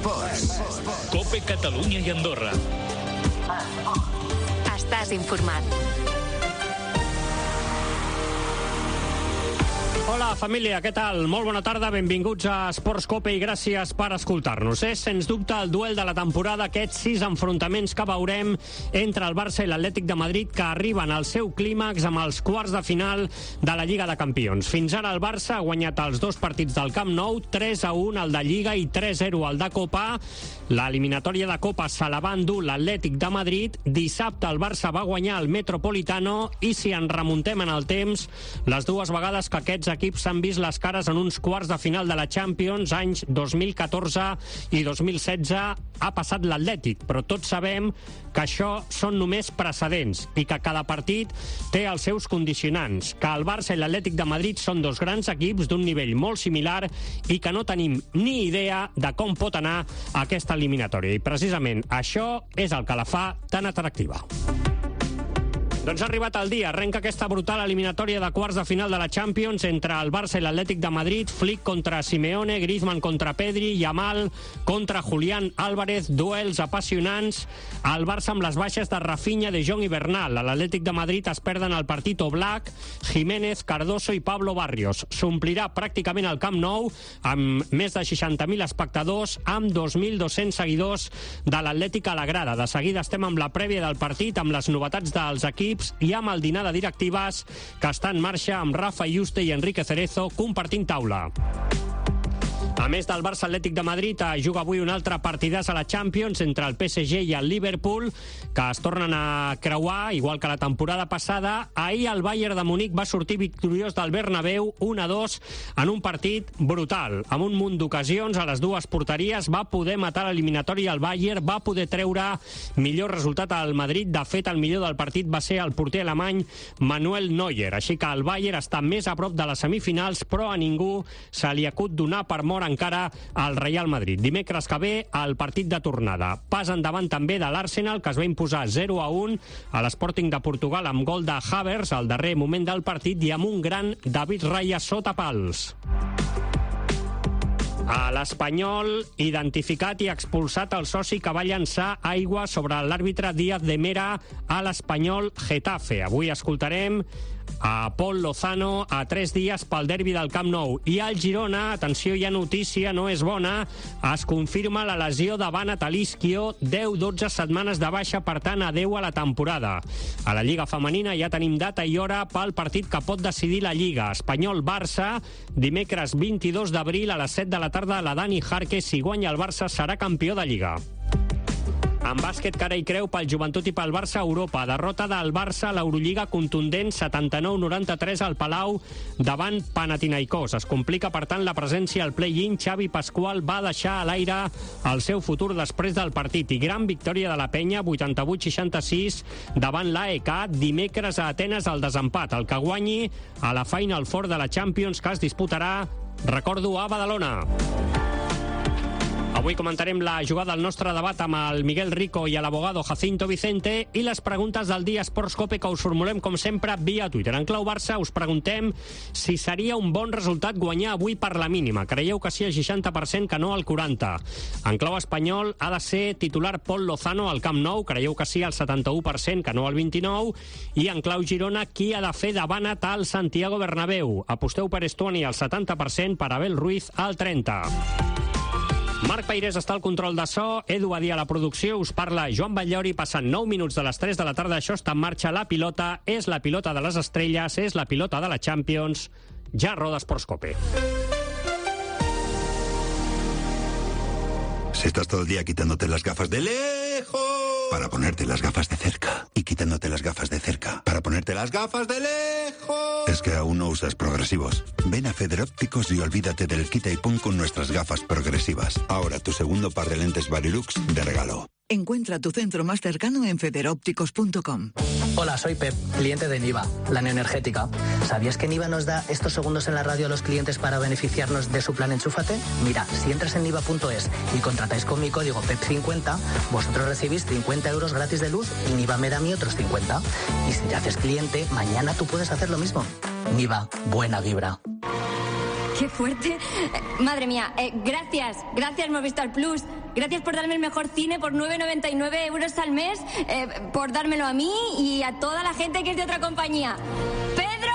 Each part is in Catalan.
Esports. COPE Catalunya i Andorra. Estàs informat. Hola, família, què tal? Molt bona tarda, benvinguts a Esports COPE i gràcies per escoltar-nos. És, sens dubte, el duel de la temporada, aquests 6 enfrontaments que veurem entre el Barça i l'Atlètic de Madrid, que arriben al seu clímax amb els quarts de final de la Lliga de Campions. Fins ara el Barça ha guanyat els 2 partits del Camp Nou, 3-1 el de Lliga i 3-0 el de Copa. L'eliminatòria de Copa se la va endur l'Atlètic de Madrid. Dissabte el Barça va guanyar el Metropolitano i si ens remuntem en el temps, les dues vegades que aquests equips s'han vist les cares en uns quarts de final de la Champions, anys 2014 i 2016, ha passat l'Atlètic, però tots sabem que això són només precedents i que cada partit té els seus condicionants, que el Barça i l'Atlètic de Madrid són 2 grans equips d'un nivell molt similar i que no tenim ni idea de com pot anar aquesta eliminatòria. I precisament això és el que la fa tan atractiva. Doncs ha arribat el dia, arrenca aquesta brutal eliminatòria de quarts de final de la Champions entre el Barça i l'Atlètic de Madrid, Flick contra Simeone, Griezmann contra Pedri, Yamal contra Julián Álvarez, duels apassionants, el Barça amb les baixes de Rafinha, De Jong i Bernal. A l'Atlètic de Madrid es perden el partit Oblak, Jiménez, Cardoso i Pablo Barrios. S'omplirà pràcticament el Camp Nou amb més de 60.000 espectadors, amb 2.200 seguidors de l'Atlètic a la grada. De seguida estem amb la prèvia del partit, amb les novetats dels equips i amb el dinar de directives que està en marxa amb Rafa Yuste i Enrique Cerezo compartint taula. A més del Barça Atlètic de Madrid, juga avui un altre partidàs a la Champions entre el PSG i el Liverpool, que es tornen a creuar, igual que la temporada passada. Ahir el Bayern de Munic va sortir victoriós del Bernabéu 1-2 en un partit brutal. Amb un munt d'ocasions a les dues porteries va poder matar l'eliminatori al Bayern, va poder treure millor resultat al Madrid. De fet, el millor del partit va ser el porter alemany Manuel Neuer. Així que el Bayern està més a prop de les semifinals, però a ningú se li acut donar per mort encara al Real Madrid. Dimecres que ve, el partit de tornada. Pas endavant també de l'Arsenal, que es va imposar 0-1 a l'Sporting de Portugal amb gol de Havertz al darrer moment del partit i amb un gran David Raya sota pals. A l'Espanyol, identificat i expulsat el soci que va llançar aigua sobre l'àrbitre Díaz de Mera a l'Espanyol Getafe. Avui escoltarem a Pol Lozano a 3 dies pel derbi del Camp Nou. I al Girona, atenció, hi ha notícia, no és bona, es confirma la lesió de Bana Talisquio, 10-12 setmanes de baixa, per tant, adeu a la temporada. A la Lliga Femenina ja tenim data i hora pel partit que pot decidir la Lliga. Espanyol-Barça, dimecres 22 d'abril a les 7 de la tarda. La Dani Jarque, si guanya el Barça, serà campió de Lliga. En bàsquet, cara i creu pel Joventut i pel Barça a Europa. Derrota del Barça a l'Eurolliga contundent 79-93 al Palau davant Panathinaikos. Es complica, per tant, la presència al play-in. Xavi Pascual va deixar a l'aire el seu futur després del partit. I gran victòria de la Penya, 88-66 davant l'AEK. Dimecres a Atenes el desempat. El que guanyi a la Final Four de la Champions, que es disputarà, recordo, a Badalona. Avui comentarem la jugada del nostre debat amb el Miguel Rico i l'abogado Jacinto Vicente i les preguntes del dia Esports COPE que us formulem, com sempre, via Twitter. En clau Barça us preguntem si seria un bon resultat guanyar avui per la mínima. Creieu que sí el 60%, que no el 40%. En clau espanyol ha de ser titular Pol Lozano al Camp Nou. Creieu que sí el 71%, que no el 29%. I en clau Girona, qui ha de fer de Banat al Santiago Bernabéu? Aposteu per Estuani al 70%, per Abel Ruiz al 30%. Marc Peirés està al control de so, Edu Badia a la producció, us parla Joan Batllori, passant 9 minuts de les 3 de la tarda. Això està en marxa, la pilota, és la pilota de les estrelles, és la pilota de la Champions. Ja roda Esports COPE. Si estás todo el día quitándote las gafas de lejos para ponerte las gafas de cerca y quitándote las gafas de cerca para ponerte las gafas de lejos, es que aún no usas progresivos. Ven a Federópticos y olvídate del quita y pon con nuestras gafas progresivas. Ahora tu segundo par de lentes Varilux de regalo. Encuentra tu centro más cercano en federópticos.com. Hola, soy Pep, cliente de Niva, la neoenergética. ¿Sabías que Niva nos da estos segundos en la radio a los clientes para beneficiarnos de su plan Enchúfate? Mira, si entras en niva.es y contratáis con mi código PEP50, vosotros recibís 50 euros gratis de luz y Niva me da a mí otros 50. Y si te haces cliente, mañana tú puedes hacer lo mismo. Niva, buena vibra. ¡Qué fuerte! Madre mía, gracias Movistar Plus. gracias por darme el mejor cine por 9,99 euros al mes, por dármelo a mí y a toda la gente que es de otra compañía. ¡Pedro!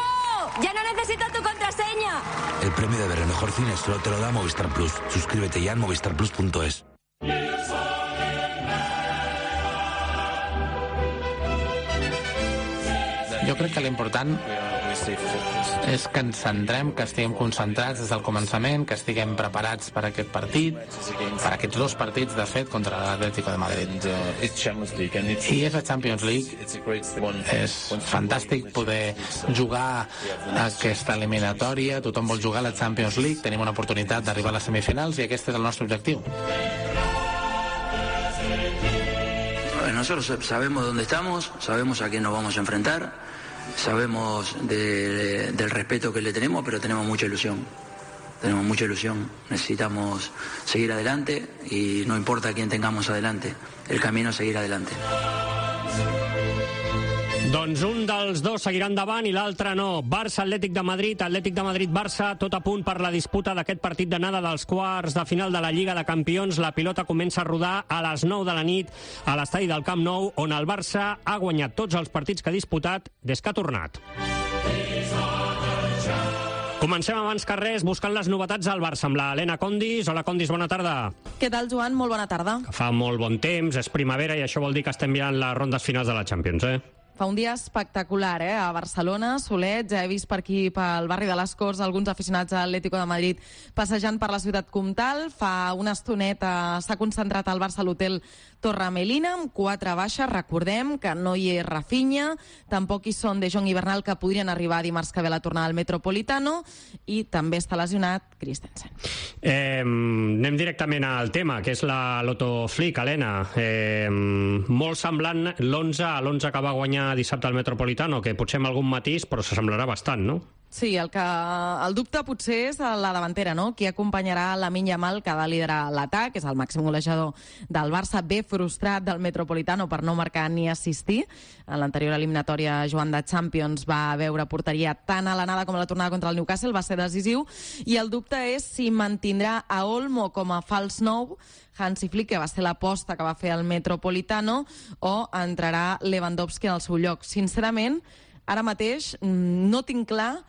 ¡Ya no necesito tu contraseña! El premio de ver el mejor cine solo te lo da Movistar Plus. Suscríbete ya en movistarplus.es. Jo crec que l'important és que ens centrem, que estiguem concentrats des del començament, que estiguem preparats per aquest partit, per aquests dos partits, de fet, contra l'Atlético de Madrid. I és la Champions League. És fantàstic poder jugar aquesta eliminatòria. Tothom vol jugar a la Champions League. Tenim una oportunitat d'arribar a les semifinals i aquest és el nostre objectiu. Nosotros sabemos dónde estamos, sabemos a quién nos vamos a enfrentar, sabemos del respeto que le tenemos, pero tenemos mucha ilusión. Tenemos mucha ilusión, necesitamos seguir adelante y no importa quién tengamos adelante, el camino es seguir adelante. Doncs un dels dos seguirà endavant i l'altre no. Barça, Atlètic de Madrid, Atlètic de Madrid, Barça, tot a punt per la disputa d'aquest partit d'anada dels quarts de final de la Lliga de Campions. La pilota comença a rodar a les 9 de la nit a l'estadi del Camp Nou, on el Barça ha guanyat tots els partits que ha disputat des que ha tornat. Comencem abans que res buscant les novetats al Barça amb l'Helena Condis. Hola, Condis, bona tarda. Què tal, Joan? Molt bona tarda. Fa molt bon temps, és primavera i això vol dir que estem mirant les rondes finals de la Champions, Fa un dia espectacular, a Barcelona, solet. Ja he vist per aquí, pel barri de les Corts, alguns aficionats a l'Atlético de Madrid passejant per la ciutat comtal. Fa una estoneta s'ha concentrat al Barça a l'hotel Torre Melina, amb 4 baixes. Recordem que no hi és Rafinha, tampoc hi són De Jong i Bernal, que podrien arribar dimarts que ve la tornada al Metropolitano, i també està lesionat Christensen. Anem directament al tema, que és la Loto Flick, Helena. Molt semblant l'11 a l'11 que va guanyar dissabte al Metropolitano, que potser amb algun matís, però s'assemblarà bastant, no? Sí, el dubte potser és la davantera, no? Qui acompanyarà Lamine Yamal, que ha de liderar l'atac, és el màxim golejador del Barça, bé frustrat del Metropolitano per no marcar ni assistir. En l'anterior eliminatòria, Joan, de Champions, va veure porteria tant a l'anada com a la tornada contra el Newcastle, va ser decisiu, i el dubte és si mantindrà a Olmo com a fals nou, Hansi Flick, que va ser l'aposta que va fer el Metropolitano, o entrarà Lewandowski en el seu lloc. Sincerament, ara mateix no tinc clar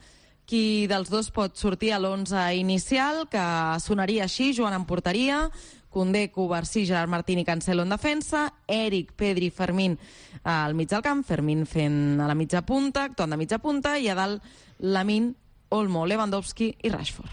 qui dels dos pot sortir a l'11 inicial, que sonaria així: Joan en porteria, Koundé, Cubarsí, Gerard Martín i Cancelo en defensa, Eric, Pedri, Fermín al mig del camp, Fermín fent a la mitja punta, Ton de mitja punta, i a dalt Lamine, Olmo, Lewandowski i Rashford.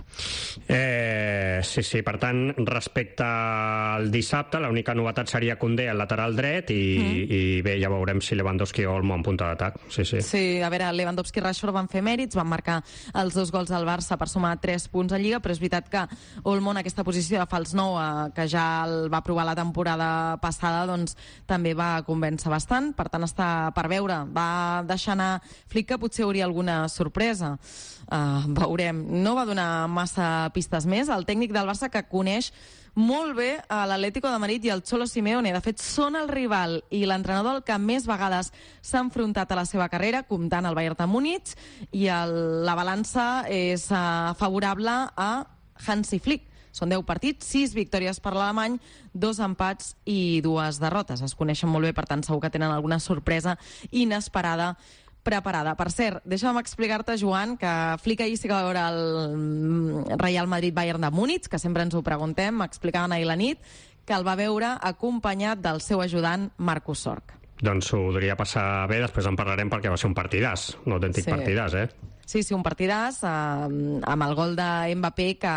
Sí, per tant, respecte al dissabte, l'única novetat seria Koundé al lateral dret i bé, ja veurem si Lewandowski o Olmo en punta d'atac. Sí, a veure, Lewandowski i Rashford van fer mèrits, van marcar els 2 gols al Barça per sumar 3 punts a Lliga, però és veritat que Olmo en aquesta posició de fals nou, que ja el va provar la temporada passada, doncs també va convèncer bastant, per tant està per veure. Va deixar anar Flick, que potser hauria alguna sorpresa. Veurem. No va donar massa pistes més. El tècnic del Barça, que coneix molt bé a l'Atlético de Madrid i el Cholo Simeone. De fet, són el rival i l'entrenador el que més vegades s'ha enfrontat a la seva carrera, comptant el Bayern de Múnich, i la balança és favorable a Hansi Flick. Són 10 partits, 6 victòries per l'alemany, 2 empats i 2 derrotes. Es coneixen molt bé, per tant, segur que tenen alguna sorpresa inesperada preparada. Per cert, deixa'm explicar-te, Joan, que Flick ahir sí que va veure el Real Madrid-Bayern de Múnich, que sempre ens ho preguntem, m'explicaven ahir la nit, que el va veure acompanyat del seu ajudant Marcus Sorg. Doncs ho podria passar bé, després en parlarem, perquè va ser un partidàs, un autèntic partidàs, Sí, un partidàs, amb el gol de Mbappé, que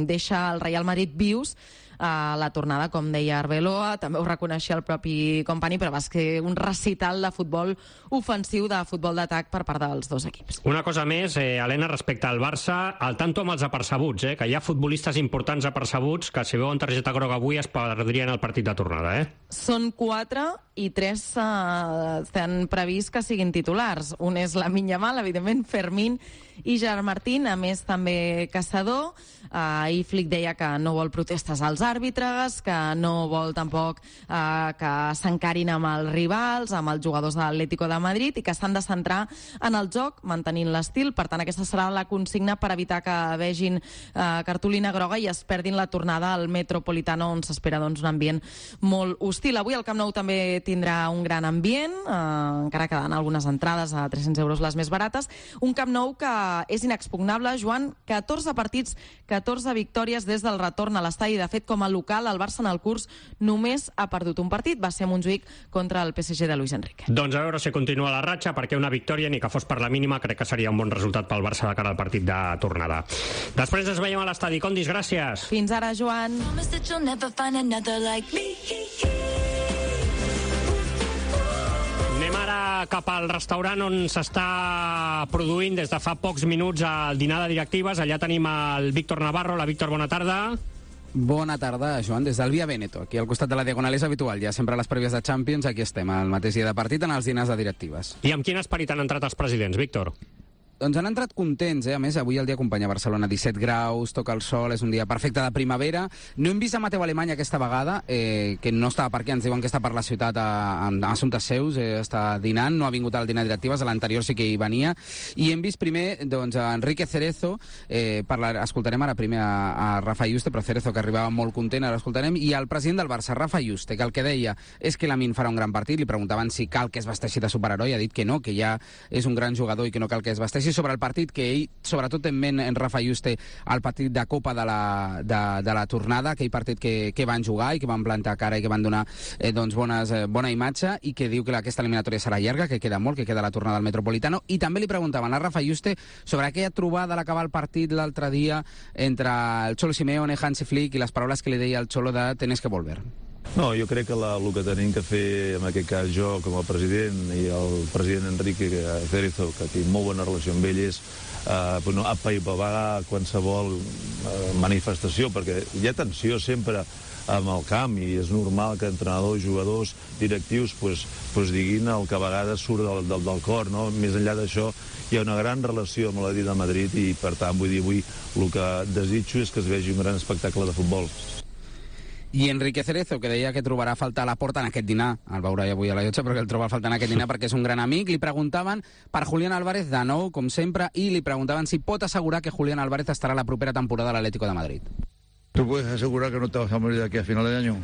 deixa el Real Madrid vius a la tornada, com deia Arbeloa, també ho reconeixia el propi company, però va ser un recital de futbol ofensiu, de futbol d'atac per part dels dos equips. Una cosa més, Helena, respecte al Barça, al tanto amb els apercebuts, que hi ha futbolistes importants apercebuts que, si veuen targeta groga avui, es perdrien el partit de tornada, Són 4 i 3 s'han previst que siguin titulars. Un és Lamine Yamal, evidentment, Fermín i Gerard Martín, a més també caçador. Ahir Flick deia que no vol protestes als àrbitres, que no vol tampoc que s'encarin amb els rivals, amb els jugadors de l'Atlético de Madrid, i que s'han de centrar en el joc, mantenint l'estil. Per tant, aquesta serà la consigna per evitar que vegin cartolina groga i es perdin la tornada al Metropolitano, on s'espera un ambient molt hostil. Avui el Camp Nou també tindrà un gran ambient, encara quedant algunes entrades a 300 euros les més barates. Un Camp Nou que és inexpugnable, Joan, 14 partits, 14 victòries des del retorn a l'estadi. De fet, com a local, el Barça en el curs només ha perdut un partit. Va ser a Montjuïc contra el PSG de Luis Enrique. Doncs a veure si continua la ratxa, perquè una victòria, ni que fos per la mínima, crec que seria un bon resultat pel Barça de cara al partit de tornada. Després ens veiem a l'estadi. Condis, gràcies. Fins ara, Joan. Anem ara cap al restaurant on s'està produint des de fa pocs minuts el dinar de directives. Allà tenim el Víctor Navarro. La Víctor, bona tarda. Bona tarda, Joan, des del Via Veneto. Aquí al costat de la Diagonal és habitual, ja sempre a les prèvies de Champions, aquí estem, al mateix dia de partit, en els dinars de directives. I amb quin esperit han entrat els presidents, Víctor? Doncs han entrat contents, A més, avui el dia acompanya a Barcelona, 17 graus, toca el sol, és un dia perfecte de primavera. No hem vist a Mateu Alemany aquesta vegada, que no estava per aquí, ens diuen que està per la ciutat a assumptes seus, està dinant, no ha vingut al dinar directives, a l'anterior sí que hi venia. I hem vist primer doncs, a Enrique Cerezo, escoltarem ara primer a Rafa Yuste, però Cerezo, que arribava molt content, ara escoltarem, i el president del Barça, Rafa Yuste, que el que deia és que Lamine farà un gran partit, li preguntaven si cal que es vesteixi de superheroi, ha dit que no, que ja és un gran jugador i que no cal que es vesteixi. Sobre el partit, que ell, sobretot en ment en Rafa Yuste, el partit de Copa de la tornada, aquell partit que van jugar i que van plantar cara i que van donar bona imatge, i que diu que aquesta eliminatòria serà llarga, que queda molt, que queda la tornada al Metropolitano. I també li preguntaven a Rafa Yuste sobre aquella trobada a l'acabar el partit l'altre dia entre el Cholo Simeone, Hansi Flick, i les paraules que li deia el Cholo de «tenés que volver». No, jo crec que el que tenim que fer, en aquest cas jo com a president i el president Enrique Cerezo, que tinc molt bona relació amb ell, és apaivagar qualsevol manifestació, perquè hi ha tensió sempre amb el camp i és normal que entrenadors, jugadors, directius diguin el que a vegades surt del cor, no? Més enllà d'això hi ha una gran relació amb l'Atlètic de Madrid i per tant vull dir, avui el que desitjo és que es vegi un gran espectacle de futbol. I Enrique Cerezo, que deia que trobarà a faltar a Laporta en aquest dinar, el veurà avui a la llotja, però que el troba a faltar en aquest dinar perquè és un gran amic. Li preguntaven per Julián Álvarez de nou, com sempre, i li preguntaven si pot assegurar que Julián Álvarez estarà la propera temporada a l'Atlético de Madrid. ¿Tú puedes asegurar que no te vas a morir de aquí a final de año?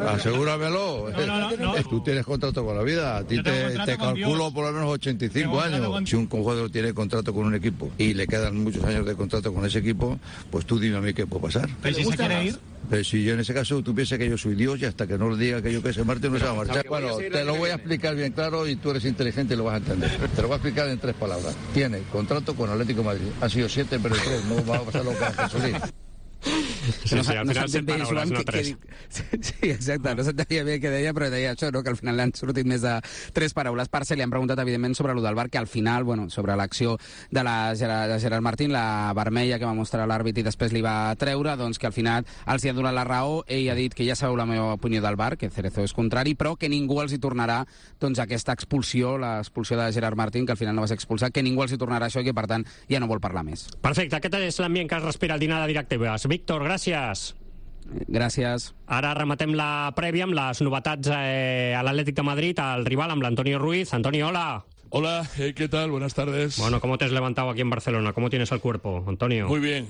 Asegúramelo. No. Tú tienes contrato con la vida. A ti te calculo por lo menos 85 años. Si un jugador tiene contrato con un equipo y le quedan muchos años de contrato con ese equipo, pues tú dime a mí qué puede pasar. ¿Pero si se quiere ir? Pero si yo en ese caso tú piensas que yo soy Dios y hasta que no le diga que yo que se marche no se va a marchar. Bueno, te lo voy a explicar bien claro y tú eres inteligente y lo vas a entender. Te lo voy a explicar en 3 palabras. Tiene contrato con Atlético de Madrid. Han sido 7, pero 3. No va a pasar lo que ha Solís. Sí, al final 7 paraules, no 3. Sí, exacte, no s'entenia bé què deia, però deia això, no? Que al final li han sortit més de 3 paraules. Per ser, li han preguntat, evidentment, sobre allò del VAR, que al final, sobre l'acció de Gerard Martín, la vermella que va mostrar l'àrbit i després li va treure, doncs que al final els hi ha donat la raó. Ell ha dit que ja sabeu la meva opinió del VAR, que Cerezo és contrari, però que ningú els hi tornarà aquesta expulsió, l'expulsió de Gerard Martín, que al final no va ser expulsat, que ningú els hi tornarà això i que, per tant, ja no vol parlar més. Perfecte, aquest és l'ambient que es respira al dinar de directives. Víctor, gràcies. Gràcies. Ara rematem la prèvia amb les novetats a l'Atlético de Madrid, al rival, amb l'Antonio Ruiz. Antonio, hola. Hola, ¿qué tal? Buenas tardes. Bueno, ¿cómo te has levantado aquí en Barcelona? ¿Cómo tienes el cuerpo, Antonio? Muy bien.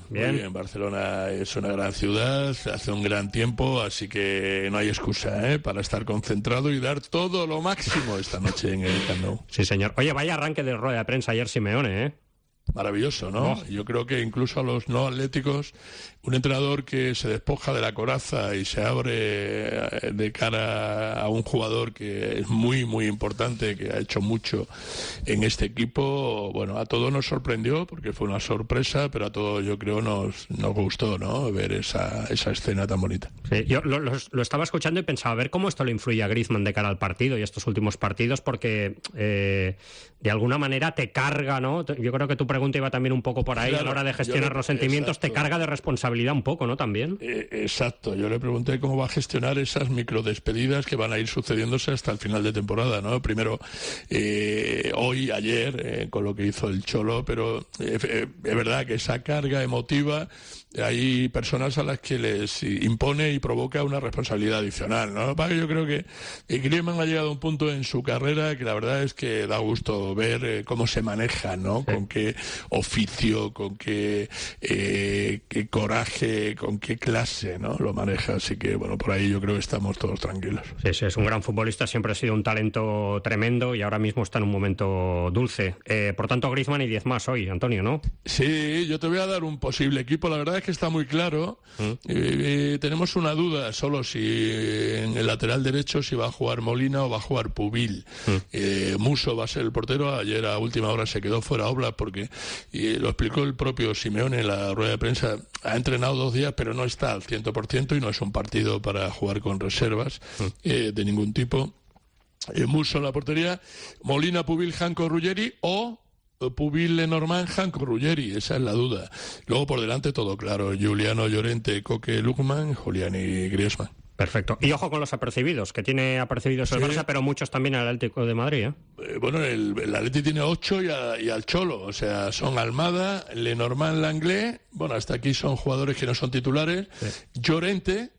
Barcelona es una gran ciudad, hace un gran tiempo, así que no hay excusa para estar concentrado y dar todo lo máximo esta noche en el Camp Nou. Sí, señor. Oye, vaya arranque de rueda de prensa ayer Simeone, Maravilloso, ¿no? Yo creo que incluso a los no atléticos, un entrenador que se despoja de la coraza y se abre de cara a un jugador que es muy, muy importante, que ha hecho mucho en este equipo, bueno, a todos nos sorprendió porque fue una sorpresa, pero a todos yo creo nos gustó, ¿no? Ver esa escena tan bonita. Sí, yo lo estaba escuchando y pensaba, a ver cómo esto le influye a Griezmann de cara al partido y estos últimos partidos, porque de alguna manera te carga, ¿no? Yo creo que tú pregunta iba también un poco por ahí, claro, a la hora de gestionar los sentimientos, exacto, te carga de responsabilidad un poco, ¿no? También. Exacto, yo le pregunté cómo va a gestionar esas microdespedidas que van a ir sucediéndose hasta el final de temporada, ¿no? Primero, hoy, ayer, con lo que hizo el Cholo, pero es verdad que esa carga emotiva, hay personas a las que les impone y provoca una responsabilidad adicional, ¿no? Yo creo que Griezmann ha llegado a un punto en su carrera que la verdad es que da gusto ver cómo se maneja, ¿no? Sí. Con qué oficio, con qué coraje, con qué clase, ¿no? Lo maneja, así que, bueno, por ahí yo creo que estamos todos tranquilos. Sí, sí, es un gran futbolista, siempre ha sido un talento tremendo y ahora mismo está en un momento dulce. Por tanto, Griezmann y 10 más hoy, Antonio, ¿no? Sí, yo te voy a dar un posible equipo, la verdad es que está muy claro. Tenemos una duda solo si en el lateral derecho si va a jugar Molina o va a jugar Pubil. Musso va a ser el portero. Ayer a última hora se quedó fuera Oblak porque lo explicó el propio Simeone en la rueda de prensa. Ha entrenado 2 días pero no está al 100% y no es un partido para jugar con reservas de ningún tipo. Musso en la portería, Molina, Pubil, Janko, Ruggeri o Pubil, Lenormand, Janko, Ruggeri, esa es la duda. Luego por delante todo claro, Giuliano, Llorente, Coque, Lukman, Julián y Griezmann. Perfecto. Y ojo con los apercibidos, que tiene apercibidos el Barça, pero muchos también el Atlético de Madrid, bueno, el Atleti tiene 8 y al Cholo, o sea, son Almada, Lenormand, Langlais, bueno, hasta aquí son jugadores que no son titulares, Llorente,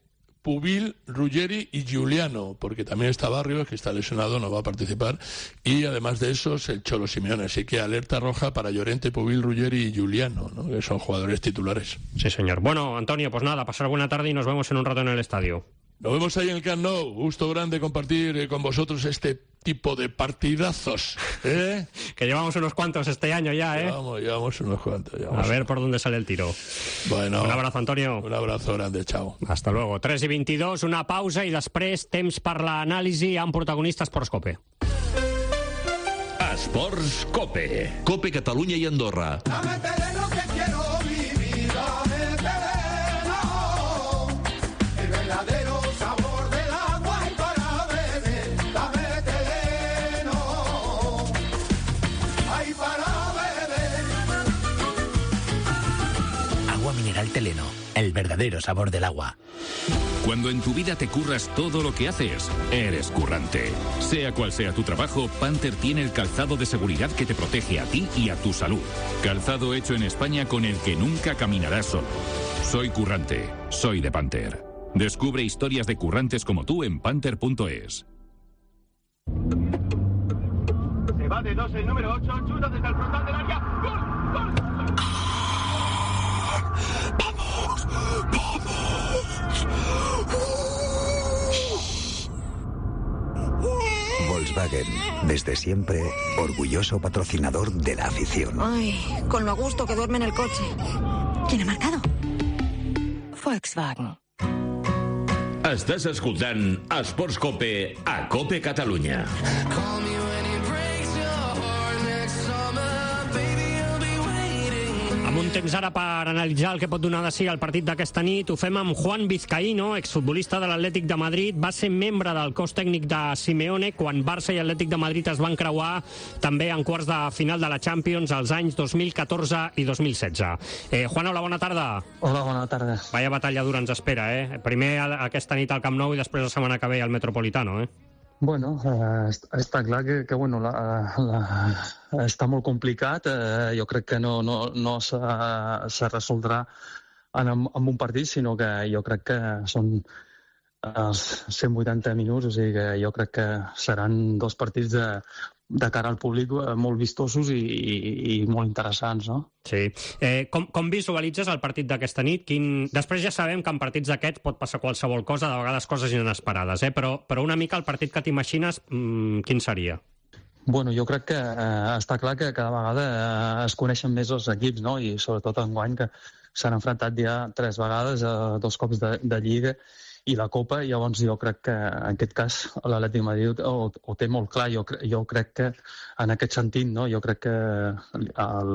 Pubil, Ruggeri y Giuliano, porque también está Barrios, que está lesionado, no va a participar, y además de esos, el Cholo Simeone, así que alerta roja para Llorente, Pubil, Ruggeri y Giuliano, ¿no? Que son jugadores titulares. Sí, señor. Bueno, Antonio, pues nada, pasar buena tarde y nos vemos en un rato en el estadio. Nos vemos ahí en el Camp Nou. Gusto grande compartir con vosotros este tipo de partidazos, ¿eh? Que llevamos unos cuantos este año ya, ¿eh? Llevamos unos cuantos. A ver por dónde sale el tiro. Bueno. Un abrazo, Antonio. Un abrazo grande, chao. Hasta luego. 3:22, una pausa i després temps per l'anàlisi amb protagonistes Esports Cope. Esports Cope. Cope Catalunya i Andorra. Mineral Teleno, el verdadero sabor del agua. Cuando en tu vida te curras todo lo que haces, eres currante. Sea cual sea tu trabajo, Panther tiene el calzado de seguridad que te protege a ti y a tu salud. Calzado hecho en España con el que nunca caminarás solo. Soy currante, soy de Panther. Descubre historias de currantes como tú en panther.es. Se va de 2 el número 8, chuta desde el frontal del área. ¡Gol! ¡Gol! Volkswagen, desde siempre, orgulloso patrocinador de la afición. Ay, con lo a gusto que duerme en el coche. ¿Quién ha marcado? Volkswagen. Estàs escoltant Esports Cope a Cope Catalunya. Amb un temps ara per analitzar el que pot donar de si el partit d'aquesta nit, ho fem amb Juan Vizcaíno, exfutbolista de l'Atlètic de Madrid. Va ser membre del cos tècnic de Simeone quan Barça i Atlètic de Madrid es van creuar també en quarts de final de la Champions als anys 2014 i 2016. Juan, hola, bona tarda. Hola, bona tarda. Vaya batalla dura ens espera, Primer aquesta nit al Camp Nou i després la setmana que ve al Metropolitano, Bueno, està clar que bueno, està molt complicat. Jo crec que no se resoldrà en un partit, sinó que jo crec que són els 180 minuts, o sigui que jo crec que seran 2 partits de cara al públic molt vistosos i molt interessants, no? Sí. Com visualitzes el partit d'aquesta nit? Després ja sabem que en partits d'aquests pot passar qualsevol cosa, de vegades coses inesperades, però una mica el partit que t'imagines, quin seria? Bueno, jo crec que està clar que cada vegada es coneixen més els equips, no? I sobretot enguany que s'han enfrontat ja 3 vegades, 2 cops de Lliga i la Copa, i llavors jo crec que en aquest cas l'Atlètic de Madrid ho té molt clar. Jo crec que en aquest sentit, no? Jo crec que el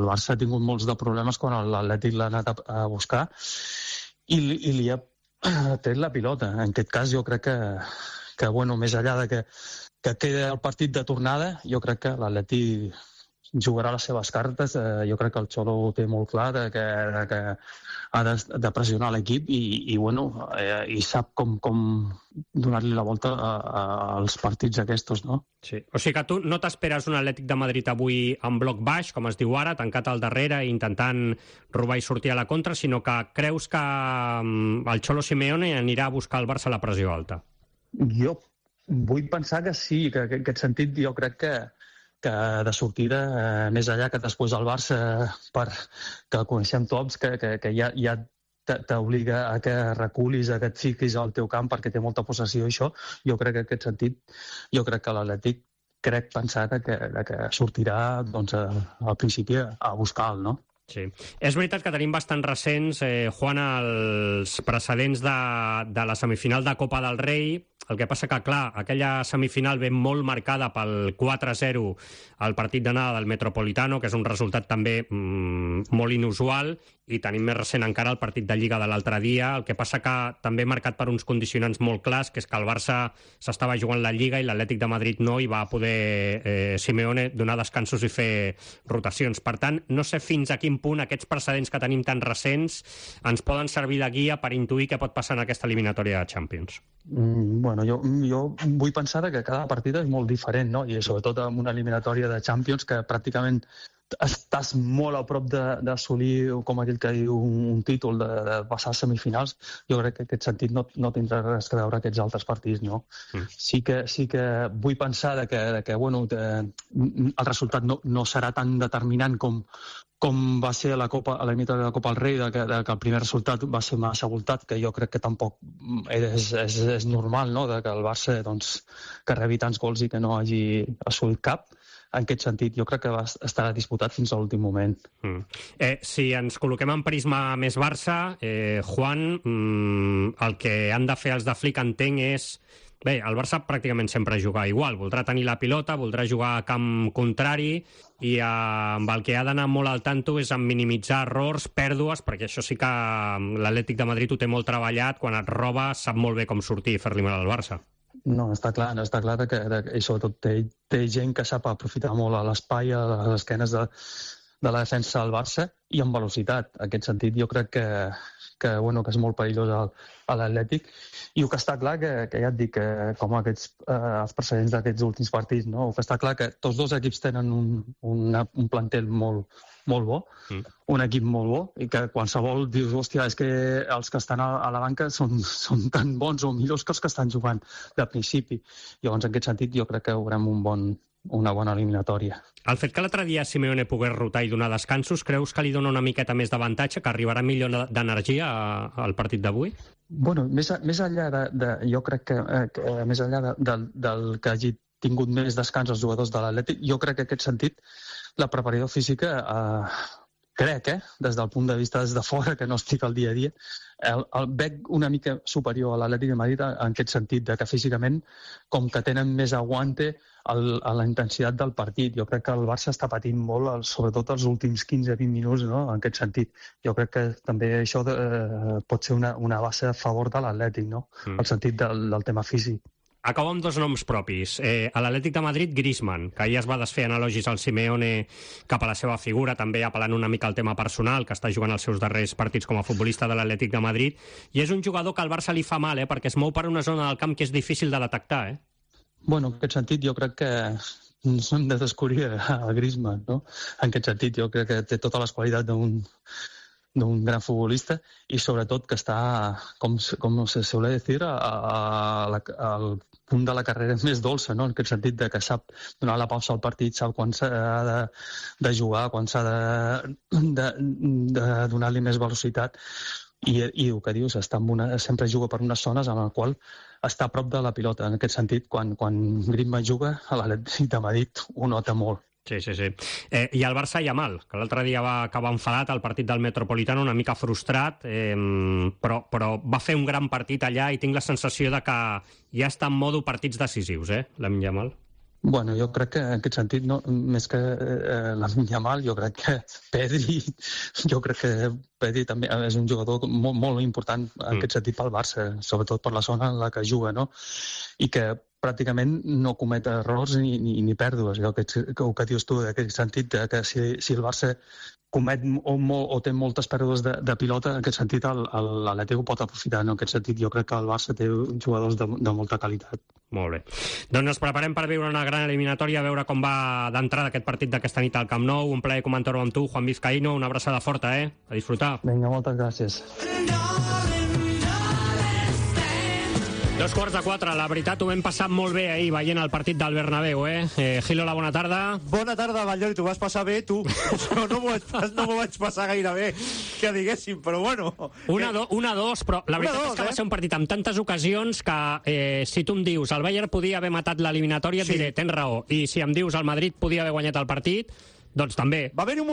Barça ha tingut molts de problemes quan l'Atlètic l'ha anat a buscar i li ha tret la pilota. En aquest cas jo crec que bueno, més enllà de que queda el partit de tornada, jo crec que l'Atlètic jugarà les seves cartes. Jo crec que el Xolo ho té molt clar, que ha de pressionar l'equip i sap com donar-li la volta als partits aquests, no? Sí. O sigui que tu no t'esperes un Atlètic de Madrid avui en bloc baix, com es diu ara, tancat al darrere i intentant robar i sortir a la contra, sinó que creus que el Xolo Simeone anirà a buscar al Barça a la pressió alta? Jo vull pensar que sí, que en aquest sentit jo crec que de sortida, més allà que després el Barça, que coneixem tots, que ja t'obliga a que reculis, a que et fiquis al teu camp perquè té molta possessió i això, jo crec que en aquest sentit, jo crec que l'Atlètic pensar que sortirà doncs, al principi a buscar-lo, no? Sí. És veritat que tenim bastant recents, Juan, els precedents de la semifinal de Copa del Rei. El que passa que, clar, aquella semifinal ve molt marcada pel 4-0 al partit d'anada del Metropolitano, que és un resultat també molt inusual, i tenim més recent encara el partit de Lliga de l'altre dia. El que passa que també marcat per uns condicionants molt clars, que és que el Barça s'estava jugant la Lliga i l'Atlètic de Madrid no, i va poder Simeone donar descansos i fer rotacions. Per tant, no sé fins a quin punt aquests precedents que tenim tan recents ens poden servir de guia per intuir què pot passar en aquesta eliminatòria de Champions. Bueno, jo vull pensar que cada partida és molt diferent, no? I sobretot en una eliminatòria de Champions que pràcticament estàs molt a prop d'assolir, com aquell que diu, un títol, de passar a semifinals. Jo crec que en aquest sentit no tindrà res a veure aquests altres partits, no? Sí que vull pensar que bueno, el resultat no serà tan determinant com va ser a l'eliminatòria de la Copa del Rei, que el primer resultat va ser massa abultat, que jo crec que tampoc és normal, no?, que el Barça que rebi tants gols i que no hagi assolit cap. En aquest sentit, jo crec que estarà disputat fins a l'últim moment. Si ens col·loquem en prisma més Barça, Juan, el que han de fer els de Flick, entenc, és... Bé, el Barça pràcticament sempre juga igual. Voldrà tenir la pilota, voldrà jugar a camp contrari i amb el que ha d'anar molt al tanto és en minimitzar errors, pèrdues, perquè això sí que l'Atlètic de Madrid ho té molt treballat. Quan et roba sap molt bé com sortir i fer-li mal al Barça. No, està clar que i sobretot té gent que sap aprofitar molt a l'espai, a les esquenes de la defensa del Barça i amb velocitat. En aquest sentit jo crec que és molt perillós a l'Atlètic. I el que està clar, que ja et dic, com els precedents d'aquests últims partits, no? El que està clar que tots dos equips tenen un plantel molt bo, un equip molt bo, i que qualsevol dius, hòstia, és que els que estan a la banca són tan bons o millors que els que estan jugant de principi. Llavors, en aquest sentit, jo crec que veurem una bona eliminatòria. El fet que l'altre dia Simeone pogués rotar i donar descansos, creus que li dona una miqueta més d'avantatge, que arribarà millor d'energia al partit d'avui? Bueno, més enllà jo crec que més enllà del que hagi tingut més descans els jugadors de l'Atlètic, jo crec que en aquest sentit la preparació física, crec, des del punt de vista des de fora, que no estic al dia a dia, el veig una mica superior a l'Atlètic de Madrid en aquest sentit, que físicament, com que tenen més aguante a la intensitat del partit. Jo crec que el Barça està patint molt, sobretot els últims 15-20 minuts, no?, en aquest sentit. Jo crec que també això pot ser una base a favor de l'Atlètic, no?, el sentit del tema físic. Acabo amb dos noms propis. A l'Atlètic de Madrid, Griezmann, que ja es va desfer en elogis al Simeone cap a la seva figura, també apel·lant una mica al tema personal, que està jugant els seus darrers partits com a futbolista de l'Atlètic de Madrid, i és un jugador que al Barça li fa mal, perquè es mou per una zona del camp que és difícil de detectar. Bueno, en aquest sentit jo crec que ens hem de descobrir a Griezmann, no? En aquest sentit jo crec que té totes les qualitats d'un gran futbolista i sobretot que està, com se suele dir, al punt de la carrera més dolça, no? En aquest sentit que sap donar la pausa al partit, sap quan s'ha de jugar, quan s'ha de donar-li més velocitat i el que dius, sempre juga per unes zones en les quals està a prop de la pilota. En aquest sentit, quan Griezmann juga a l'Atlètic de Madrid ho nota molt. Sí. I el Barça Yamal, que l'altre dia va acabar enfadat al partit del Metropolitano, una mica frustrat, però va fer un gran partit allà i tinc la sensació de que ja està en modo partits decisius, l'Amin Yamal. Bueno, jo crec que en aquest sentit, no, més que l'Amin Yamal, jo crec que Pedri també és un jugador molt, molt important en aquest sentit pel Barça, sobretot per la zona en la que juga, no? I que pràcticament no comet errors ni pèrdues. El que dius tu, en aquest sentit, que si el Barça comet o té moltes pèrdues de pilota, en aquest sentit l'Atlético pot aprofitar. En aquest sentit jo crec que el Barça té jugadors de molta qualitat. Molt bé. Doncs ens preparem per viure una gran eliminatòria, a veure com va d'entrada aquest partit d'aquesta nit al Camp Nou. Un plaer comentar-ho amb tu, Juan Vizcaíno. Una abraçada forta, a disfrutar. Vinga, moltes gràcies. 3:45, la veritat ho vam passar molt bé ahir veient el partit del Bernabéu, Gilola, bona tarda. Bona tarda, Batllori, t'ho vas passar bé, tu. No m'ho vaig passar gaire bé, que diguéssim, però bueno. 1-2, però la veritat és que va ser un partit amb tantes ocasions que si tu em dius el Bayern podia haver matat l'eliminatòria, et diré, tens raó, i si em dius el Madrid podia haver guanyat el partit, doncs també. Va haver-hi un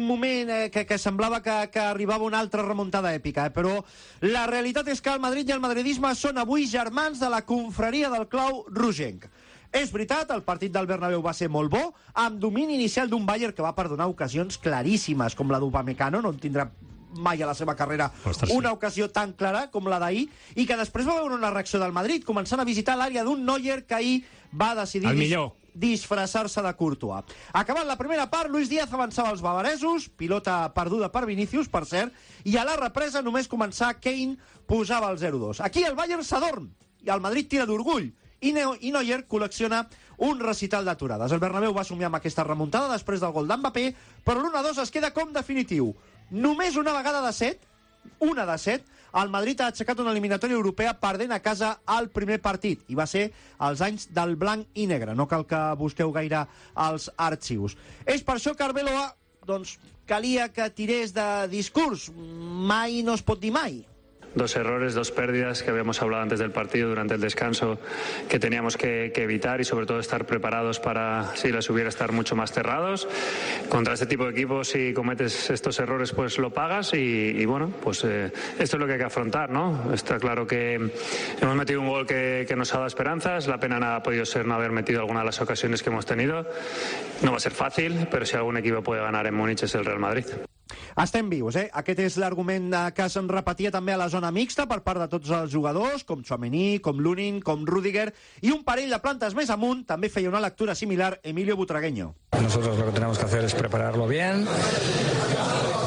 moment que semblava que arribava una altra remuntada èpica, però la realitat és que el Madrid i el madridisme són avui germans de la confraria del clau rogenc. És veritat, el partit del Bernabéu va ser molt bo, amb domini inicial d'un Bayern que va perdonar ocasions claríssimes, com la d'Upamecano, no en tindrà mai a la seva carrera una ocasió tan clara com la d'ahir, i que després va veure una reacció del Madrid, començant a visitar l'àrea d'un Neuer que ahir va decidir disfressar-se de Courtois. Acabant la primera part, Luis Díaz avançava als bavaresos, pilota perduda per Vinícius, per cert, i a la represa, només començar, Kane posava el 0-2. Aquí el Bayern s'adorm, i el Madrid tira d'orgull, i Neuer col·lecciona un recital d'aturades. El Bernabéu va somiar amb aquesta remuntada després del gol d'Mbappé, però l'1-2 es queda com definitiu. Només una vegada de 7, el Madrid ha aixecat una eliminatòria europea perdent a casa al primer partit, i va ser als anys del blanc i negre. No cal que busqueu gaire als arxius. És per això que Arbeloa, doncs, calia que tirés de discurs. Mai no es pot dir mai. Dos errores, dos pérdidas que habíamos hablado antes del partido, durante el descanso, que teníamos que evitar y sobre todo estar preparados para, si las hubiera, estar mucho más cerrados. Contra este tipo de equipos, si cometes estos errores, pues lo pagas y bueno, pues esto es lo que hay que afrontar, ¿no? Está claro que hemos metido un gol que nos ha dado esperanzas. La pena ha podido ser no haber metido alguna de las ocasiones que hemos tenido. No va a ser fácil, pero si algún equipo puede ganar en Múnich es el Real Madrid. Estem vius, Aquest és l'argument que se'n repetia també a la zona mixta per part de tots els jugadors, com Tchouaméni, com Lunin, com Rüdiger, i un parell de plantes més amunt també feia una lectura similar Emilio Butragueño. Nosotros lo que tenemos que hacer es prepararlo bien,